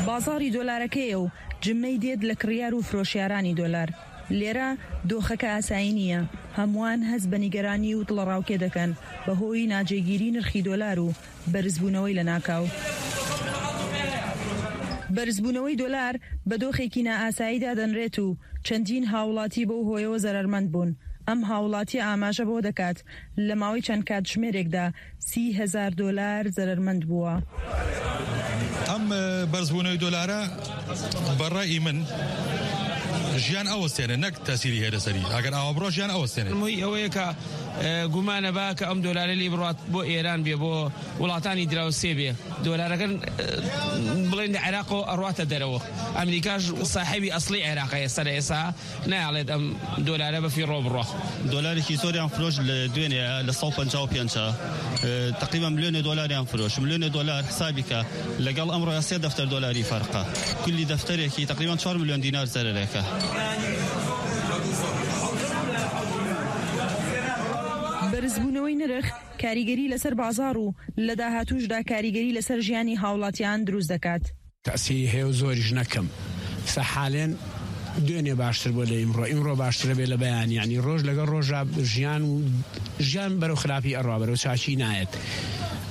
بازاڕی دۆلارەکەیە و جمەی دێت لە کڕیار و فرۆشیارانی دۆلار. لێرە دۆخەکە ئاسایی نییە. هەمووان هەست بە نیگەرانی و دڵەڕاوکێ دەکەن بەهۆی ناجێگیری نرخی دۆلار و بەرزبوونەوەی لە ناکاو. بەرزبوونەوەی دۆلار بە دۆخێکی نائاسایی دادەنرێت و چەندین هاوڵاتی بەو هۆیەوە زەرەرمەند بوون. ئەم هاوڵاتیە ئاماژە بۆ دەکات لە ماوەی چەند کاتژمێرێکدا سی هەزار دۆلار زەرەرمەند بووە. ئەم، ئە، بەرزبوونەوەی دۆلارە بەڕای من ژیان ئەوەستێنێ، نەک تەسیری هێرە سەری. ئەگەر ئاوا بڕۆ ژیان ئەوەستێنێ. مەوی ئەوەیە کە، ئە، گومانە با کە ئەم دۆلارە لێ بڕات بۆ ئێران بێ، بۆ وڵاتانی دراوسێ بێ. دۆلارەکە، ئە، بڵێن لە عێراقەوە ئەڕاتە دەرەوە. ئەمریکاش ساحەبی ئەسڵی عێراقە ئێستا لە ئێستا. نایەڵێت ئەم دۆلارە بەفیڕۆ بڕۆ. دۆلارێکی زۆریان فرۆش لە دوێنێ لە سەد و پەنجا و پێنج، ئە، تقریبا ملیۆنێ دۆلاریان فرۆش. ملیۆنێ دۆلار حسابی کە لەگەڵ ئەمڕۆ سێ دەفتەر دۆلاری فەرقە. کلی دەفتەرێکی تقریبا چوار ملیۆن دینار زەرەرێکە. بەرزبوونەوەی نرخ کاریگەری لەسەر بازار و لە داهاتووشدا کاریگەری لەسەر ژیانی هاوڵاتیان دروست دەکات. تەسیری هەیە و زۆریش نەکەم. سە حالێن دوێنێ باشتر بۆ لە ئیمڕۆ، ئیمڕۆ باشترە بێ لە بەیان، یعنی ڕۆژ لەگەڵ ڕۆژا ژیان و ژیان بەرەو خراپی ئەڕوا، بەرەو چاچی نایەت.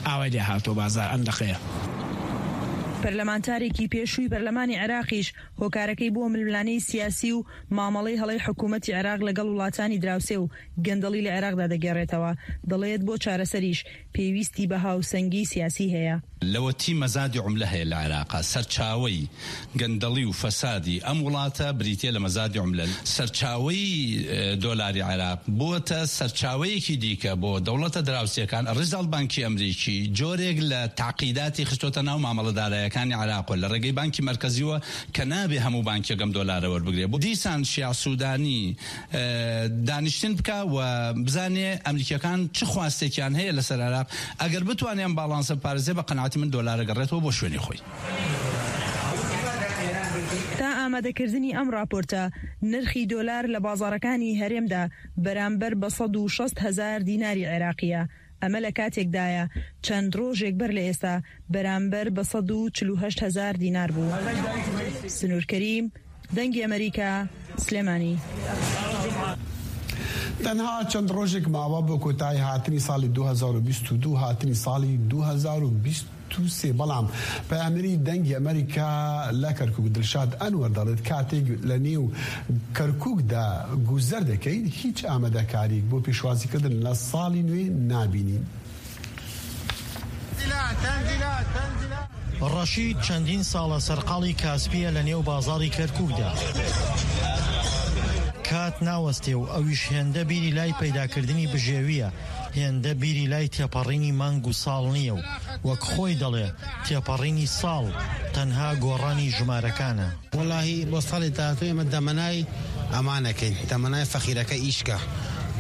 ئاوای لێ هاتۆ بازار ئەم دەقەیە. پەرلەمانتارێکی پێشووی پەرلەمانی عێراقیش هۆکارەکەی بۆ ململانەی سیاسی و مامەڵەی هەڵەی حکوومەتی عێراق لەگەڵ وڵاتانی دراوسێ و گەندەڵی لە عێراقدا دەگێڕێتەوە. دەڵێت بۆ چارەسەریش پێویستی بە هاوسەنگی سیاسی هەیە. لەوەتی مەزادی عملە هەیە لە عێراقا. سەرچاوەی گەندەڵی و فەسادی ئەم وڵاتە بریتیە لە مەزادی عملە. سەرچاوەی، ئە، دۆلاری عێراق بووەتە سەرچاوەیەکی دیکە بۆ دەوڵەتە دراوسێکان. ڕیزاڵ بانکی ئەمریکی جۆرێک لە تعقیداتی خستۆتە ناو مامەڵەدارایەکانی عێراقەوە لە ڕێگەی بانکی مەرکەزیوە کە نابێ هەموو بانکێک ئەم دۆلارە وەربگرێ. بۆ دیسان شیع سوودانی، ئە، دانیشتن بکا و بزانێ ئەمریکیەکان چ خواستێکیان هەیە لەسەر عێراق. ئەگەر بتوانێ ئەم باڵانسە بپارێزێ، بە قەناعەتی من دۆلارە گەڕێتەوە بۆ شوێنی خۆی. تا ئامادەکردنی ئەم راپۆرتە، نرخی دۆلار لە بازاڕەکانی هەرێمدا بەرامبەر بە سەد و شەست هەزار دیناری عێراقیە. ئەمە لە کاتێکدایە چەند ڕۆژێک بەر لە ئێستا بەرامبەر بە سەد و چل و هەشت هەزار دینار بوو. سنوور کەریم، دەنگی ئەمریکا، سلێمانی. تەنها چەند ڕۆژێک ماوە بۆ کۆتایی هاتنی ساڵی دوو هەزار و بیست و دوو، هاتنی ساڵی دوو هەزار و بیست و سێ، بەڵام پەیامنێری دەنگی ئەمریکا لە کەرکووک دڵشاد ئەنوەر دەڵێت کاتێک لە نێو کەرکووکدا گوزەر دەکەیت، هیچ ئامادەکاریەک بۆ پێشوازیکردن لە ساڵی نوێ نابینین. ڕەشید چەندین ساڵە سەرقاڵی کاسپیە لە نێو بازاڕی کەرکووکدا. کات ناوەستێ و ئەویش هێندە بیری لای پەیداکردنی بژێویە، هێندە بیری لای تێپەڕینی مانگ و ساڵ نییە و وەک خۆی دەڵێ، تێپەڕینی ساڵ تەنها گۆڕانی ژمارەکانە. وەڵاهی بۆ ساڵی داهاتوو ئێمە دەمەنای ئەمانەکەین، دەمەنای فەقیرەکە ئیشکە.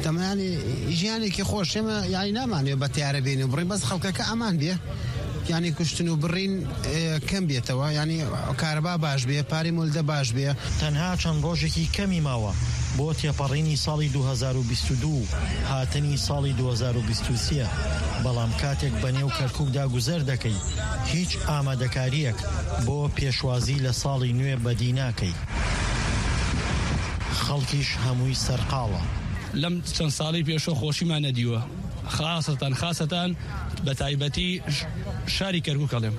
دەمەنانی ژیانێکی خۆش، ئێمە یعنی نامانوێ بە تیارە بێنێ و بڕین، بەس خەڵکەکە ئەمان بێ. یعنی کوشتن و بڕین، ئێ، کەم بێتەوە، یعنی کارەبا باش بێ، پارەی مولدە باش بێ. تەنها چەند ڕۆژێکی کەمی ماوە بۆ تێپەڕینی ساڵی دوو هەزار و بیست و دوو، هاتنی ساڵی دوو هەزار و بیست و سێ، بەڵام کاتێک بە نێو کەرکووکدا گوزەر دەکەی، هیچ ئامادەکاریەک بۆ پێشوازی لە ساڵی نوێ بەدی ناکەی. خەڵکیش هەمووی سەرقاڵە. لەم چەند ساڵی پێشوە خۆشیمان نەدیوە، خاسەتان، خاسەتان بە تایبەتی ش-، شاری کەرکووک ئەڵێم.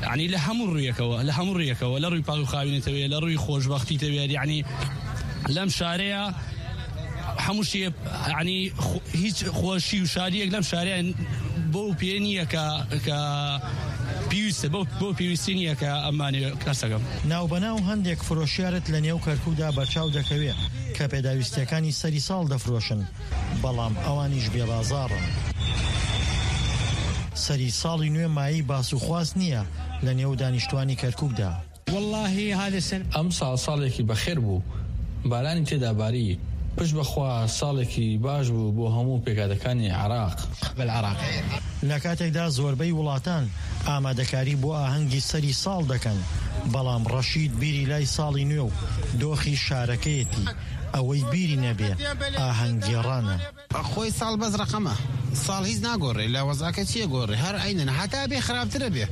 یعنی لە هەموو ڕوویەکەوە، لە هەموو ڕوویەکەوە، لە ڕووی پاک و خاوێنێتەوەیە، لە ڕووی خۆشبەختیتەوەیە، یعنی لەم شارەیە هەموو شتێ، یعنی خو-، هیچ خۆشی و شاریەک لەم شارەیە بەو پێ نییە کە، کە پێویستە، بەو، بەو پێویستی نییە کە ئەمانێ کەسەکەم. ناوبەناو هەندێک فرۆشیارت لە نێو کەرکووکدا بەرچاو دەکەوێ کە پێداویستیەکانی سەری ساڵ دەفرۆشن، بەڵام ئەوانیش بێبازاڕن. سەری ساڵی نوێ مایی باس و خواست نییە لە نێو دانیشتوانی کەرکووکدا. والله هذه السنة ئەم ساڵ ساڵێکی بەخێر بوو، بارانی تێدا باری. پشت بەخوا ساڵێکی باش بوو بۆ هەموو پێکاتەکانی عێراق. بالعراق. لە کاتێکدا زۆربەی وڵاتان ئامادەکاری بۆ ئاهەنگی سەری ساڵ دەکەن، بەڵام ڕەشید بیری لای ساڵی نوێ و دۆخی شارەکەیەتی، ئەوەی بیری نەبێ ئاهەنگگێڕانە. خۆی ساڵ بەس ڕەقەمە. ساڵ هیچ ناگۆڕێ، لە وەزعەکە چیە گۆڕێ؟ هەر عینەنە، هەتا بێ خراپترە بێ.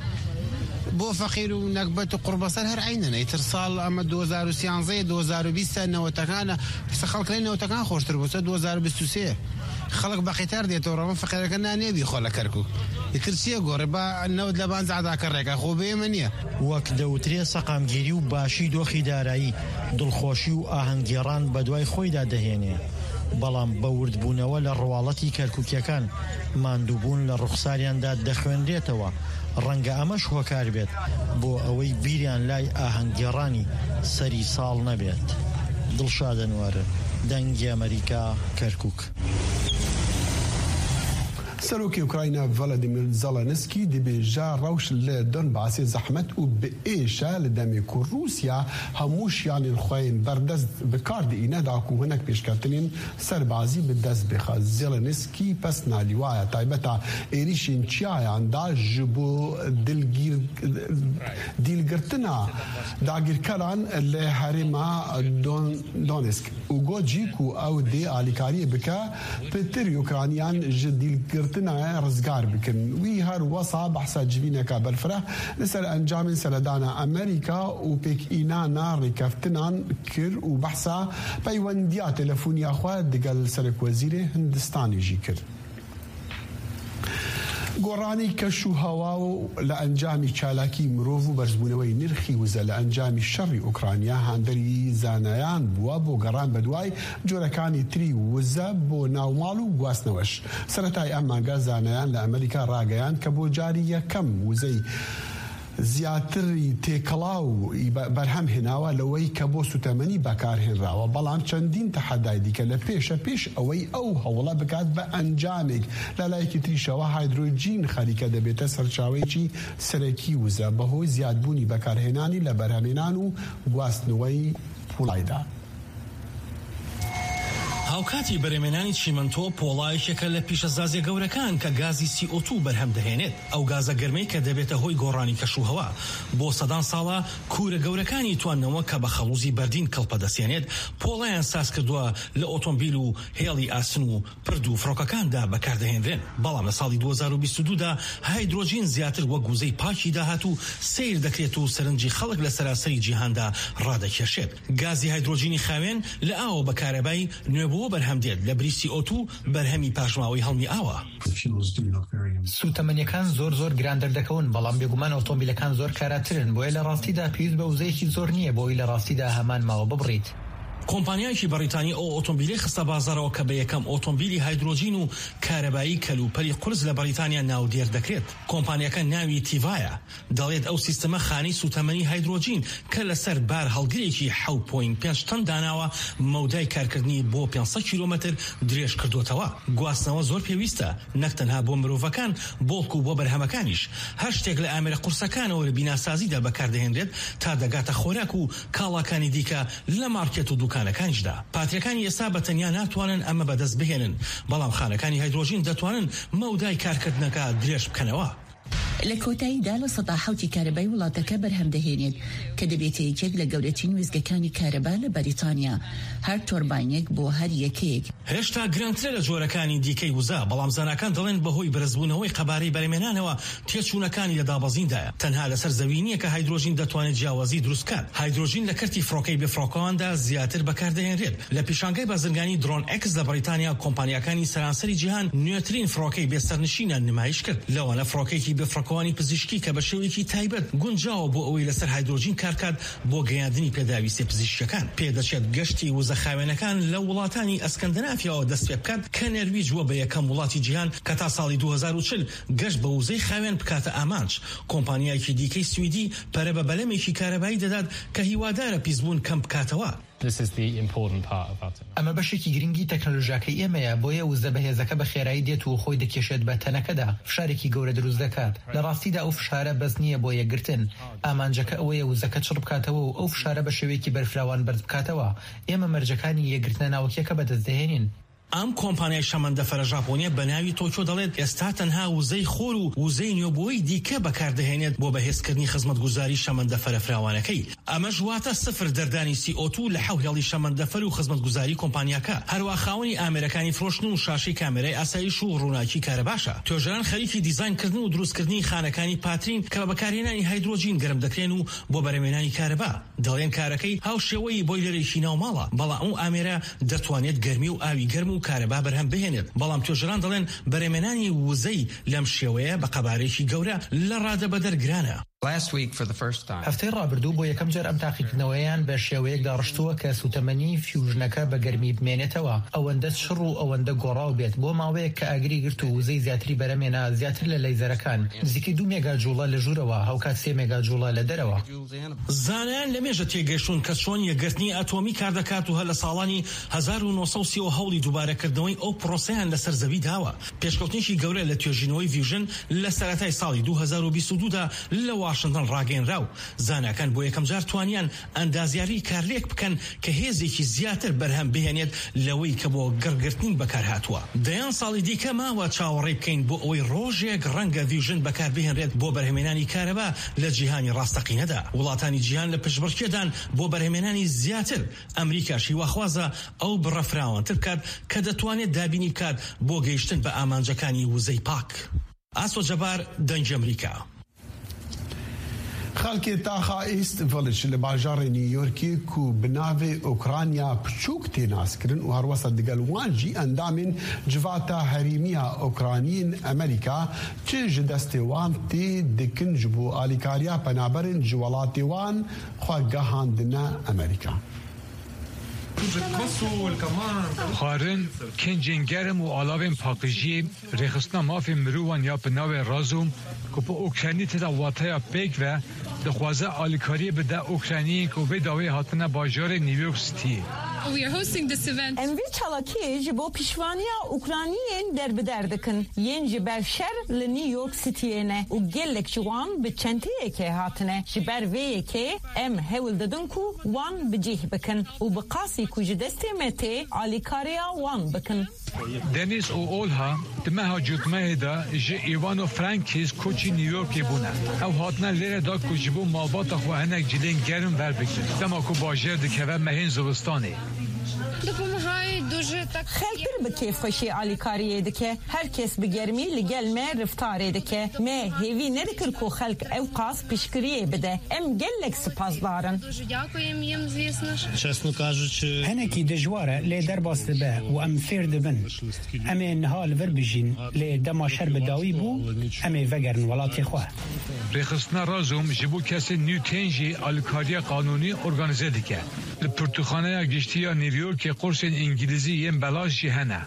بۆ فەقیر و نەکبەت و قوڕبەسەر هەر عینەنە. ئیتر ساڵ ئەمە دوو هەزار و سیانزە، دوو هەزار و بیست، نەوەتەکانە. سە خەڵک لەی نەوەتەکان خۆشتر بوو، سە دوو هەزار و بیست و سێ. خەڵک بە قیتار دێتەوە ڕەوە، فەقیرەکە نانێ بیخۆ لە کەرکووک. ئیتر چیە گۆڕێ؟ با نەوت لە بانزعدا کەڕێکە، خۆ بێمە نییە. وەک دەوترێ سەقامگیری و باشی دۆخی دارایی، دڵخۆشی و ئاهەنگگێڕان بە دوای خۆیدا دەهێنێ. بەڵام بە وردبوونەوە لە ڕواڵەتی کەرکووکیەکان، ماندووبوون لە ڕوخساریاندا دەخوێنرێتەوە. ڕەنگە ئەمەش هۆکار بێت بۆ ئەوەی بیریان لای ئاهەنگگێڕانی سەری ساڵ نەبێت. دڵشاد ئەنوەر، دەنگی ئەمریکا، کەرکووک. سەرۆکی ئوکراینا ڤلادیمیر زەلەنسکی دەبێژە ڕەوش لە دۆنباسێ زەحمەت و بئێشە لە دەمێک و رووسیا هەموو شیانên xwe yên berdest bi kar diîne da ku hinek pêşketinên serbazî bi dest bixe. Zelensky pesna lîwaya taybeta êrîşên çiyayan da ji bo dilgîr-, dîlgirtina dagirkeran li herêma Don-, Donetsk û got jî ku ew dê alîkariyê bike pitir Ukrayniyan ji dîlgirtina rizgar bikin. Wî her wesa behsa civîneka berfireh li ser encamên seredana Amerîka û pêkînana rêkeftinan kir û behsa peywendiya telefoniya xwe digel Serekwezîrê Hindistanê jî kir. گۆڕانی کەش و هەوا و لە ئەنجامی چالاکی مرۆڤ و بەرزبوونەوەی نرخی وزە لە ئەنجامی شەڕی ئۆکرانیا هاندەری زانایان بووە بۆ گەڕان بەدوای جۆرەکانی تری وزە بۆ ناوماڵ و گواستنەوەش. سەرەتای ئەم مانگە زانایان لە ئەمریکا ڕاگەیاند کە بۆ جاری یەکەم وزەی زیاتری تێکەڵاو بەرهەم هێناوە لەوەی کە بۆ سوتەمەنی بەکارهێنراوە، بەڵام چەندین تەحەدای دیکە لە پێشە پێش ئەوەی ئەو هەوڵە بکات بە ئەنجامێک. لە لایەکی تریشەوە هایدرۆجین خەریکە دەبێتە سەرچاوەیەکی سەرەکی وزە بەهۆی زیادبوونی بەکارهێنانی لە بەرهەمێنان و گواستنەوەی پوڵایدا. هاوکاتی بەرهەمێنانی چیمەنتۆ پۆڵایەکێکە لە پیشەسازیە گەورەکان کە گازی سی ئۆ تو بەرهەم دەهێنێت. ئەو گازە گەرمەی کە دەبێتە هۆی گۆڕانی کەش و هەوا. بۆ سەدان ساڵە کوورە گەورەکانی تواننەوە کە بە خەڵوزی بەردین کەڵپە دەسێنێت، پۆڵایان ساز کردووە لە ئۆتۆمبیل و هێڵی ئاسن و پرد و فڕۆکەکاندا بەکاردەهێنرێن. بەڵام لە ساڵی دوو هەزار و بیست و دوو دا هایدرۆجین زیاتر وەک وزەی پاکی داهات و سیر دەکرێت و سەرنجی خەڵک لە سەراسەری جیهاندا ڕادەکێشێت. گازی هایدرۆجینی خاوێن لە ئاوە بە کارەبای نوێبووە بەرهەم دێت لە بری سی ئۆ تو، بەرهەمی پاشماوەی هەڵمی ئاوە. سوتەمەنیەکان زۆر زۆر گران دەردەکەون، بەڵام بێگومان ئۆتۆمبیلەکان زۆر کاراترن، بۆیە لە ڕاستیدا پێویست بە وزەیەکی زۆر نییە بۆی لە ڕاستیدا هەمان ماوە ببڕیت. کۆمپانیایەکی بەریتانی ئەو ئۆتۆمبیلەی خستە بازاڕەوە کە بە یەکەم ئۆتۆمبیلی هایدرۆجین و کارەبایی کەلوپەلی قورس لە بەریتانیا ناودێر دەکرێت. کۆمپانیەکە ناوی تیڤایە. دەڵێت ئەو سیستەمە خانەی سوتەمەنی هایدرۆجین کە لەسەر بار هەڵگرێکی حەوت پۆینت پێنج تەن داناوە، مەودای کارکردنی بۆ پێنج سەد کیلۆمەتر درێژ کردوتەوە. گواستنەوە زۆر پێویستە، نەک تەنها بۆ مرۆڤەکان، بەڵکو بۆ بەرهەمەکانیش. هەر شتێک لە ئامێرە قورسەکانەوە لە بیناسازیدا بەکاردەهێنرێت تا دەگاتە خۆراک و کاڵاکانی دیکە لە مارکێت و دوکانەکانیشدا. پاتریەکانی ئێستا بە تەنیا ناتوانن ئەمە بەدەست بهێنن، بەڵام خانەکانی هایدرۆژین دەتوانن مەودای کارکردنەکە درێژ بکەنەوە. لە کۆتاییدا لە سەدا حەوتی کارەبای وڵاتەکە بەرهەم دەهێنێت، کە دەبێتە یەکێک لە گەورەترین وێستگەکانی کارەبا لە بەریتانیا، هەر تۆرباینێک بۆ هەر یەکەیەک. هێشتا گرانترە لە جۆرەکانی دیکەی وزە، بەڵام زاناکان دەڵێن بەهۆی بەرزبوونەوەی قەبارەی بەرهەمێنانەوە تێچوونەکانی لە دابەزیندایە. تەنها لەسەر زەوی نییە کە هایدرۆژین دەتوانێت جیاوازی دروست بکات. هایدرۆژین لە کەرتی فڕۆکەی بێفڕۆکەواندا زیاتر بەکاردەهێنرێت. لە پیشانگای بازرگانی درۆن ئێکس لە بەریتانیا، کۆمپانیاکانی سەرانسەری جیهان نوێترین فڕۆکەی بێسەرنشینیان نمایش کرد، لەوانە فڕۆکەیەکی بێفڕۆکەوانی پزیشکی کە بە شێوەیەکی تایبەت گونجاوە بۆ ئەوەی لەسەر هایدرۆژین کارکات بۆ گەیاندنی پێداویستیە پزیشکیەکان. پێدەچێت گەشتی وزە خاوێنەکان لە وڵاتانی ئەسکەندەنافیاوە دەست پێ بکات، کە نەرویج بووە بە یەکەم وڵاتی جیهان کە تا ساڵی دوو هەزار و چل گەشت بە وزەی خاوێن بکاتە ئامانج. کۆمپانیایەکی دیکەی سویدی پەرە بە بەلەمێکی کارەبایی دەدات کە هیوادارە پیسبوون کەم بکاتەوە. This is the important part about it. ئەمە بەشێکی گرنگی تەکنەلۆژیاکەی ئێمەیە، بۆیە وزە بەهێزەکە بە خێرایی دێت و خۆی دەکێشێت بە تەنەکەدا، فشارێکی گەورە دروست دەکات. لە ڕاستیدا ئەو فشارە بەس نییە بۆ یەکگرتن. ئامانجەکە ئەوەیە وزەکە چڕ بکاتەوە و ئەو فشارە بە شێوەیەکی بەرفراوان بەرز بکاتەوە. ئێمە مەرجەکانی یەکگرتنە ناوەکیەکە بەدەست دەهێنین. ئەم کۆمپانیای شەمەندەفەرە ژاپۆنیە بە ناوی تۆکیۆ دەڵێت ئێستا تەنها وزەی خۆر و وزەی نوێبووەی دیکە بەکاردەهێنێت بۆ بەهێزکردنی خزمەتگوزاری شەمەندەفەرە فراوانەکەی. ئەمەش واتە سفر دەردانی سی ئۆ تو لە حەو هێڵی شەمەندەفەر و خزمەتگوزاری کۆمپانیاکە. هەروە خاوەنی ئامێرەکانی فرۆشتن و شاشەی کامێرای ئاسایش و ڕووناکی کارەباشە. توێژەران خەریکی دیزاین کردن و دروستکردنی خانەکانی پاترین کە بە بەکارهێنانی هایدرۆجین گەرم دەکرێن و بۆ بەرەمێنانی کارەبا. دەڵێن کارەکەی هاوشێوەی بۆیلەرێکی ناوماڵە، بەڵام ئەو ئامێرە دەتوانێت گەرمی و ئاوی گەرم و کارەبا بەرهەم بهێنێت. بەڵام توێژەران دەڵێن بەرەمێنانی وزەی لەم شێوەیە بە قەبارەیەکی گەورە لە ڕادەبەدەر گرانە. Last week, for the first time. هەفتەی ڕابردوو بۆ یەکەم جار ئەم تاقیکردنەوەیان بە شێوەیەک داڕشتووە کە سوتەمەنی فیوژنەکە بە گەرمی بمێنێتەوە، ئەوەندە شڕ و ئەوەندە گۆڕاو بێت بۆ ماوەیەک کە ئاگری گرت و وزەی زیاتری بەرەمێنا، زیاتر لە لەیزەرەکان، نزیکەی دوو مێگا جوڵە لە ژوورەوە، هاوکات سێ مێگا جوڵە لە دەرەوە. زانایان لە مێژە تێگەشتون کە چۆن یەکگرتنی ئەتۆمی کار دەکات و هەر لە ساڵانی هەزار و نۆ سەد و سی و هەوت دووبارەکردنەوەی ئەو پرۆسەیان لەسەر زەوی داوە. پێشکەوتنێکی گەورە لە توێژینەوەی ڤیوژن لە سەرەتای ساڵی دوو هەزار و بیست و دوو دا لە واشنگتن ڕاگەیەنرا و زاناکان بۆ یەکەم جار توانیان ئەندازیاری کارلێک بکەن کە هێزێکی زیاتر بەرهەم بهێنێت لەوەی کە بۆ گڕگرتنی بەکار هاتووە. دەیان ساڵی دیکە ماوە چاوەڕێ بکەین بۆ ئەوەی ڕۆژێک ڕەنگە ڤیوژن بەکار بهێنرێت بۆ بەرهەمێنانی کارەبا لە جیهانی ڕاستەقینەدا. وڵاتانی جیهان لە پشتبڕکێدان بۆ بەرهەمێنانی زیاتر. ئەمریکاش هیواخوازە ئەو بڕە فراوانتر بکات کە دەتوانێت دابینی بکات بۆ گەیشتن بە ئامانجەکانی وزەی پاک. ئاسۆ جەبار، دەنگی ئەمریکا. خەڵکێ تاخا ئیست ڤڵج لە باژارێ نیویۆرکی کو بناوێ ئۆکرانیا پچووک تێ ناسکرن و هەروەسە دگەل وان ژی ئەندامێن جڤاتا هەریمیا ئۆکرانیین ئەمریکا چ ژ دەستێ وان تێ دکن ژ بۆ ئالیکاریا پەنابەرێن ژ وەڵاتێ وان خوا گەهاندنە ئەمریکا. Xwarin, kincên germ û alavên paqijiyê, rêxistina mafên mirovan ya bi navê Razûm, ku bi Ukraynî tê de wateya pêk ve, dixwaze alîkariyê bide Ukrayniyên ku vê dawê hatine bajarê New York Cityê. We are hosting this event. Em vê çalakiyê ji bo piştevaniya Ukrayniyên derbeder dikin, yên ji ber şer li New York Cityê ne û gelek ji wan bi çenteyekê hatine. Ji ber vê yekê em hewl didin ku wan bi cih bikin û bi qasî ku ji destê me tê alîkariya wan bikin. Denis û Olha di meha cotmehê de ji Ivano Frankis koçî New Yorkê bûne. Ew hatine lêre da ku ji bo malbata xwe hinek cilên germ verbigrin, dema ku bajêr dikeve mehên zivistanê. Допомагає дуже так. Xelk pir bi kêfxweşî alîkariyê dike. Her kes bi germî li gel me reftarê dike. Me hêvî nedikir ku xelk ew qas piştgiriyê bide. Em gelek spasdar in. Дуже дякуємо їм, звісно ж. Чесно кажучи, Hinekî dijwar e, lê derbas dibe û em fêr dibin. Em ê niha li vir bijîn, lê dema şer bi dawî bû, em ê vegerin welatê xwe. Rêxistina Razûm ji bo kesên nû tên jî alîkariya qanûnî organîze dike. Li pirtûkxaneya giştî Ya New Yorkê qursên îngilîzî yên belaş jî hene.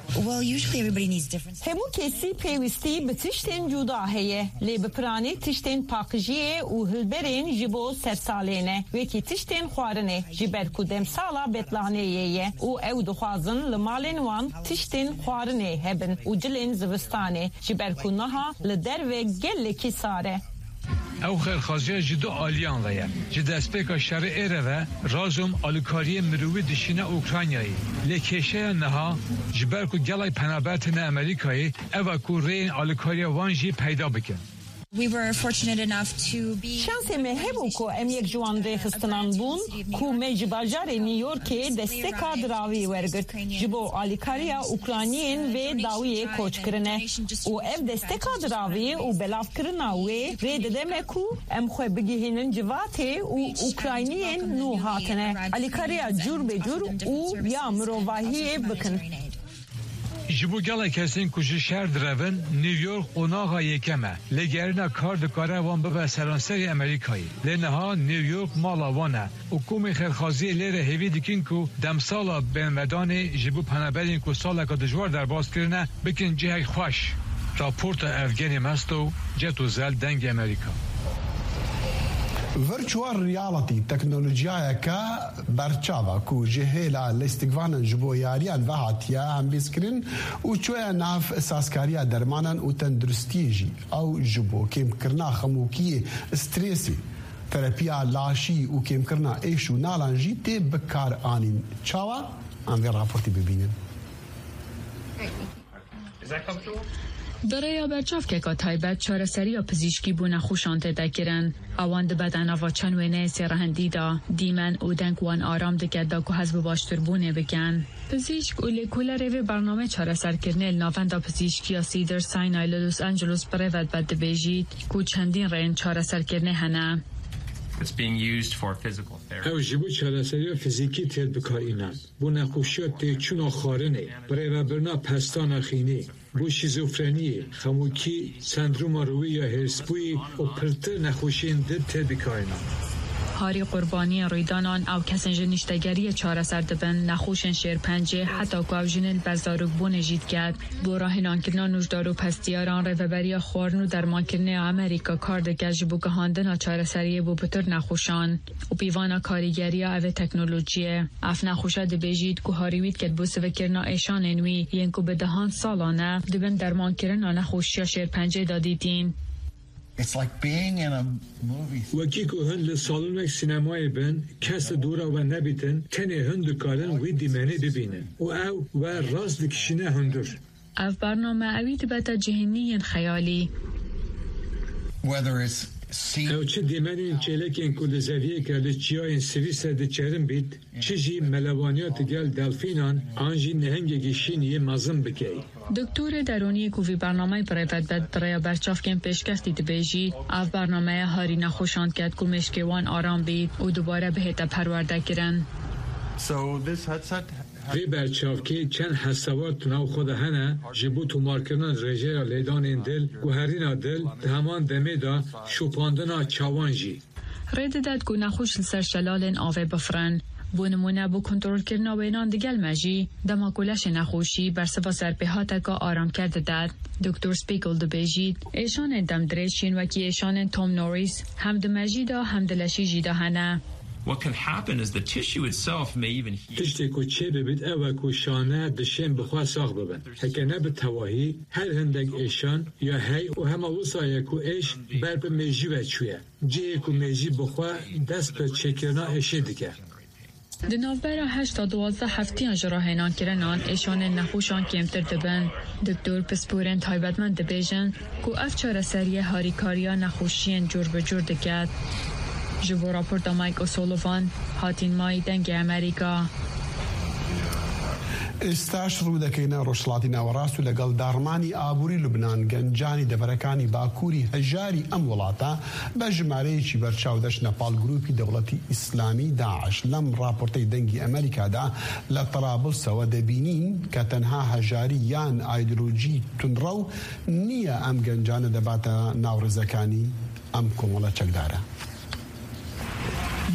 Hemû kesî pêwîstî bi tiştên cuda heye, lê bi piranî tiştên paqijiyê û hilberên ji bo sersalê ne, wekî tiştên xwarinê, ji ber ku demsala betlaneyê ye û ew dixwazin li malên wan tiştên xwarinê hebin û cilên zivistanê, ji ber ku niha li derve gelekî sar e. Ew xêrxwaziya ji du aliyan ve ye. Ji destpêka şerê ê re ve razom alîkariyên mirovî dişîne Ukraynayê. Lê kêşeya niha ji ber ku gelek penaber têne Amerîkayê, ev e ku rêyên alîkariya wan jî peyda bikin. Şansê me hebû ku em yek ji wan rêxistinan bûn ku me ji bajarê New Yorkê desteka diravî wergirt. Ji bo alîkariya Ukrayniyên vê dawiyê koç kirine. Û ev desteka diravî û belavkirina wê rê dide me ku em xwe bigihînin civatê û Ukrayniyên nû hatine. Alîkariya cûr be cûr û ya mirovahiyê bikin. Ji bo gelek kesên ku ji şer direvin, New York qonaxa yekem e. Lêgerîna kar dikare wan bibe seranserê Amerîkayê. Lê niha New York mala wan e û komên xêrxwaziyê lê re hêvî dikin ku demsala bênvedanê ji bo penaberên ku saleka dijwar derbas kirine, bikin cihek xweş. Raporta Evgenî Mesto, Ceto Zel, Dengê Amerîka. Virtual reality teknolojiyayeke berçav e ku ji hêla lîstikvanan ji bo yariyan ve hatiye hembîzkirin û çûye nav sazkariya dermanan û tenduristiyê jî. Ew ji bo kêmkirina xemokiyê, strêsê, terapiya laşî û kêmkirina êş û nalan jî tê bikaranîn. Çawa? Em vê raportê bibînin. Bi rêya berçavkeka taybet çareseriya pizîşkî bo nexweşan tête kirin. Ewan dibete nava çend wêneyê sêrehendî de, dîmen û deng wan aram dike da ku hez bi baştirbûnê bikin. Pizîşk û lêkolerê vê bernameyê çareserkirinê li Navenda Pizîşkiya Cedars-Sinai li Los Angeles bi rê vedbet dibêjît ku çendîn rêyên çareserkirinê hene. Ew ji bo çareseriya fizîkî tê bikarînan, bo nexweşiya têçûna xwarinê, birêvebirina pestana xînê, bo şîzofreniyê, xemokî, sendroma rûyî ya hêrsbûyî û pirtir nexweşiyên din tê bikarînan. Harî qurbaniyên rûydanan ew kesên ji niştegeriyê çareser dibin, nexweşên şêrpencê, heta ku ew jinên li ber zarokbûnê jî diket. Bo rahênankirina nûjdar û pestiyaran Rêveberiya Xwarin û Dermankirinê ya Amerîka kar dike ji bo gihandina çareseriyê bo pitir nexweşan. Û pîvana karîgeriya ev ê teknolojiyê. Ev nexweşe dibêjît ku harî wî diket bo sivikirina êşanên wî yên ku bi dehan salan e dibin dermankirina nexweşiya şêrpencê de dîtîn. It's like being in a movie. Wekî ku hûn li salonek sînemayê bin, kes li dora we nebîtin, tenê hûn dikarin wî dîmenê bibînin û ew we rast dikişîne hundir. Ev bername ewî dibete cihê nî yên xeyalî. Whether it's seen. Ew çi dîmenên çêlekên ku li zeviyeke li çiyayên Swîsre diçerin bît, çi jî melewaniya digel delfînan an jî nehengekî şîniyê mezin bikey. Doktorê derûniyê ku vî bernameyê bi rê vedbet bi rêya berçavkên pêşkevtî dibêjît, ev bernameye harî nexweşan diket ku mêşkê wan aram bît û dubare bihête perwerdekirin. So this headset Vê berçavkê çend hesewat di nav xwe de hene ji bo tomarkirina rêjeya lêdanên dil, guherîna dil, di heman demê de şopandina çawan jî. Rê didet ku nexweş li ser şelalên avê bifirin. Bo nimûne, bo kontrolkirina wênan digel mejî, dema ku leşê nexweşî bersiva serpêhateka aramker didet. Doktor Spiegel dibêjît, êşanên demdirêj yên wekî êşanên Tom Norris hem di mejî de hem di leşî jî de hene. What can happen is the tissue itself may even heal. Tiştê ku çê bibît ew e ku şane dişên bi xwe sax bibin. Heke ne bi tewahî, her hindek êşan ya hey û hema wisa ye ku êş ber bi mêjî ve çûye. Cihê ku mêjî bi xwe dest bi çêkirina êşê dike. Di navbera heşt ta duwazdeh heftiyan ji rahênankirinan êşanên nexweşan kêmtir dibin. Doktor pisporên taybetmend dibêjin ku ev çareseriyê harîkariya nexweşiyên cûr bi cûr diket. Ji bo raporta Mike O'Sullivan, Hatîn May, Dengê Amerîka. ئێستاش ڕوو دەکەینە ڕۆژهەڵاتی ناوەڕاست و لەگەڵ داڕمانی ئابووری لوبنان، گەنجانی دەڤەرەکانی باکووری هەژاری ئەم وڵاتە بە ژمارەیەکی بەرچاو دەچنە پاڵ گروپی دەوڵەتی ئیسلامی، داعش. لەم ڕاپۆرتەی دەنگی ئەمریکادا لە تەرابلسەوە دەبینین کە تەنها هەژاری یان ئایدۆلۆژی تونڕەو نییە ئەم گەنجانە دەباتە ناوڕێزەکانی ئەم کۆمەڵە چەکدارە.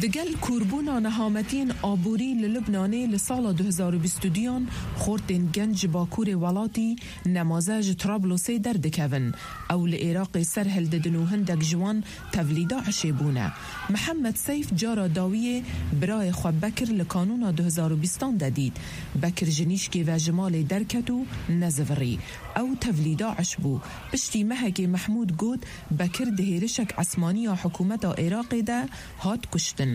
Digel kûrbûna nehametiyên aborî li Lubnanê li sala du hezar û bîst û duyan xortên genc ji bakurê welatî nemaze ji Trablosê derdikevin. Ew li Iraqê ser hildidin û hindek ji wan tevlî DAIŞê bûne. Mihemed Seyf cara dawiyê birayê xwe Bekir li kanûna du hezar û bîstan de dît. Bekir ji nîşkê ve ji malê derket û nezivirî. Ew tevlî DAIŞ bû. Piştî mehekê Mehmûd got, Bekir di hêrişek esmanî ya hikûmeta Iraqê de hat kuştin.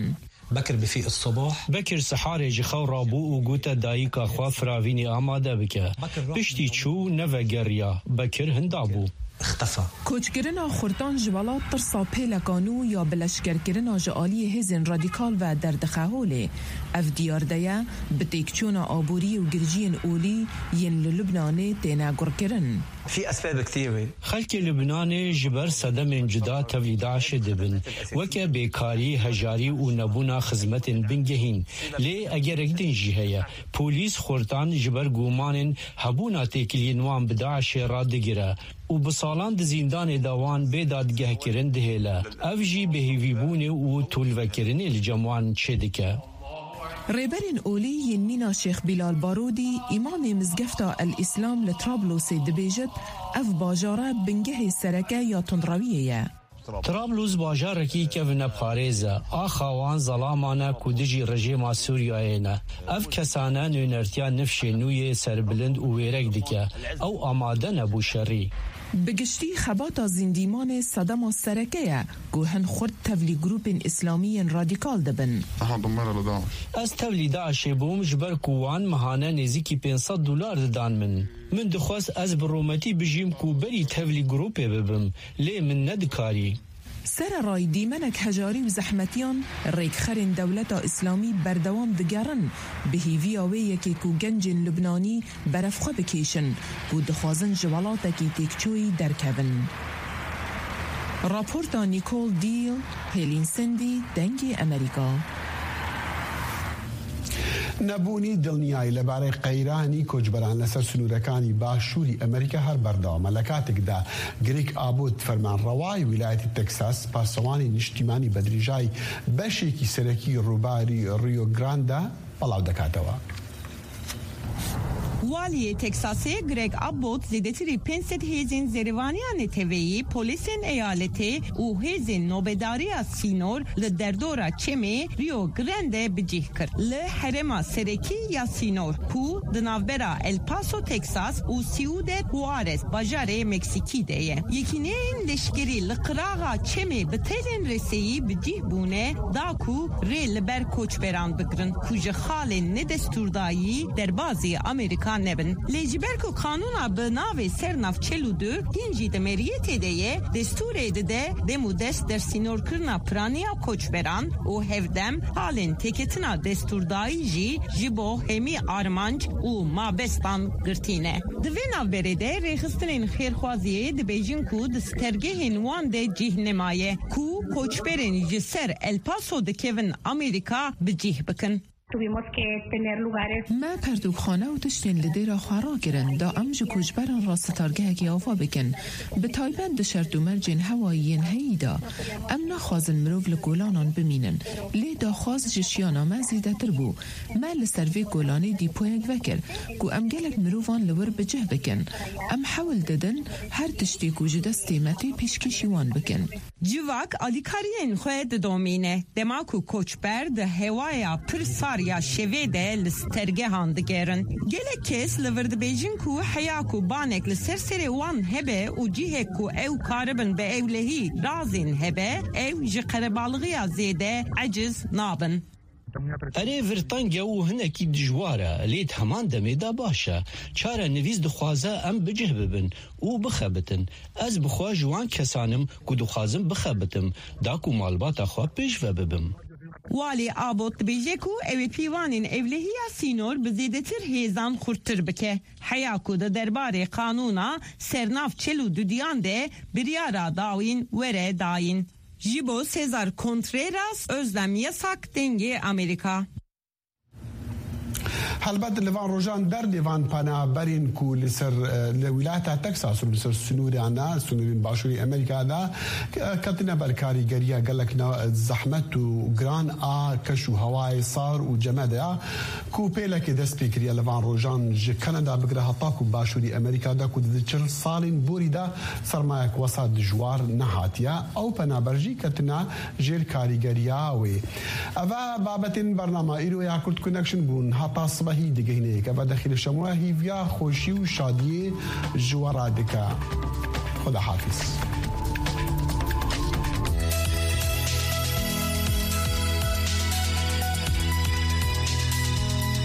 بكر بفيق الصبح. Bekir siharê ji xew rabû û gote dayika xwe firavînê amade bike. Piştî çû, nevegeriya. Bekir hinda bû. اختفى. Koçkirina xurtan ji welat tirsa pêleka nû ya bi leşkerkirina ji aliyê hêzên radîkal ve derdixe holê. Ev diyar de ye, bi têkçûna aboriyê û girjiyên olî yên li Lubnanê têne gurkirin. في أسباب كثيرة. Xelkê Lubnanê ji ber sedemên cuda tevlî DAIŞê dibin, weke bêkarî, hejarî û nebûna xizmetên bingehîn. Lê egerek din jî heye. Polîs xurtan ji ber gumanên hebûna têkiliyên wan bi DAIŞê radigire û bi salan di zîndanê de wan bê dadgehkirin dihêle. Ev jî bêhêvîbûnê û tolvekirinê li cem wan çêdike. Rêberên olî yên mîna Şêx Bîlal Barodî, îmamê Mizgefta El Îslam li Trablosê dibêjit, ev bajare bingehê sereke ya tundrewiyê ye. Trablus bajarekî kevineparêz e. Axa wan zelaman e ku dijî rejêma Sûriyeyê ne. Ev kesane nûnertiya nifşê nû yê serbilind û wêrek dike. Ew amade ne bo şerî. Bi giştî xebata zîndîmanê sedema sereke ye ku hin xurt tevlî grûpên îslamî yên radîkal dibin. أنا انضم لداعش. Ez tevlî DAIŞê bûm ji ber ku wan mehane nêzîkî pênc sed dolar didan min. Min dixwest ez bi rûmetî bijîm ku berî tevlî grûpê bibim, lê min nedikarî. Sererayî dîmenek hejarî û zehmetiyan rêkxerên Dewleta Îslamî berdewam digerin, bi hêviya wê yekê ku gencên Lubnanî berevxwe bikêşin ku dixwazin ji welatekî têkçûyî derkevin. Raporta Nicole Deal, Hêlîn Sendî, Dengê Emerîka. نەبوونی دڵنیایی لەبارەی قەیرانی کۆچبەران لەسەر سنوورەکانی باشووری ئەمریکا هەر بەردەوامە، لە کاتێکدا گرێگ ئابوت، فەرمانڕەوای ویلایەتی تەکساس، پاسەوانی نیشتیمانی بە درێژایی بەشێکی سەرەکی ڕووباری ڕیۆ گراندە بەڵاو دەکاتەوە. Waliyê Teksasê Greg Abbott zêdetirî pênc sed hêzên zerivaniya neteweyî, polîsên eyaletê û hêzên nobedariya sînor li derdora çemê Rio Grande bi cih kir. Li herêma serekî ya sînor, ku di navbera El Paso, Texas û Ciudad Juarez, bajarê Meksîkî de ye, yekîneyên leşkerî li qiraxa çemê bi telên reseyî bi cih bûne, da ku rê li ber koçberan bigirin, ku ji xalên nedestûrdayî derbazî Amerîka nebin. Lê ji ber ku qanûna bi navê Sernav çel û du hîn jî di meriyetê de ye, destûrê dide dem û dest dersînorkirina piraniya koçberan û hevdem halên têketina destûrdayî jî ji bo hemî armanc û mabestan girtî ne. Di vê navberê de rêxistinên xêrxwaziyê dibêjin ku di stergehên wan de cih nemaye ku koçberên ji ser El Paso dikevin Amerîka bi cih bikin. Tuvimos que tener lugares. Me pertûkxane û tiştên li dêra xwe rakirin, da em ji koçberan re sitargehekî ava bikin, bi taybet di şert û mercên hewayî yên heyî de. Em naxwazin mirov li kolanan bimînin, lê daxwaz ji şiyana me zêdetir bû. Me li ser vê kolanê dîpoyek vekir, ku em gelek mirovan li wir bi cih bikin. Em hewl didin her tiştê ku ji destê me tê pêşkêşî wan bikin. Civak alîkariyên xwe didomîne, dema ku koçber di hewaya pir sar ya şevê de li stergehan digerin. Gelek kes li vir dibêjin ku heya ku banek li ser serê wan hebe û cihek ku ew karibin bi ewlehî razên hebe, ew ji qerebalxiya zêde eciz nabin. Erê, vir teng e û hinekî dijwar e, lê di heman demê de baş e. Çarenivîs dixwaze em bi cih bibin û bixebitin. Ez bi xwe ji wan kesan im ku dixwazim bixebitim, da ku malbata xwe pêş ve bibim. Walî Abbott dibêje ku ew ê pîvanên ewlehiya sînor bi zêdetir hêzan xurttir bike, heya ku di derbarê qanûna Sernav çil û dudiyan de biryara dawîn were dayîn. Ji bo Cesar Contreras, Özlem Yasak, Dengê Amerîka. Helbet li van rojan derdê van penaberên ku li ser, e, li wilata Texas û li ser sinûran, sinûrên başûrê Amerîka de, e, ketine ber karîgeriya gelek ne-, zehmet û giran a keş û hewayê sar û cemedê ya ku pêlekê dest pê kiriye li van rojan ji Kanada bigire heta ku başûrî Amerîka de ku di çil salên borî de sermayek wesa dijwar nehatiye. Ew penaber jî ketine jêr karîgeriya wê. Eve babetên bernama îro ya Kurd Connection bûn. Heta sibehî digihîne yek. Eve dexî li şemo hîviya xweşî û şadiyê ji we re dike. Xuda hafiz.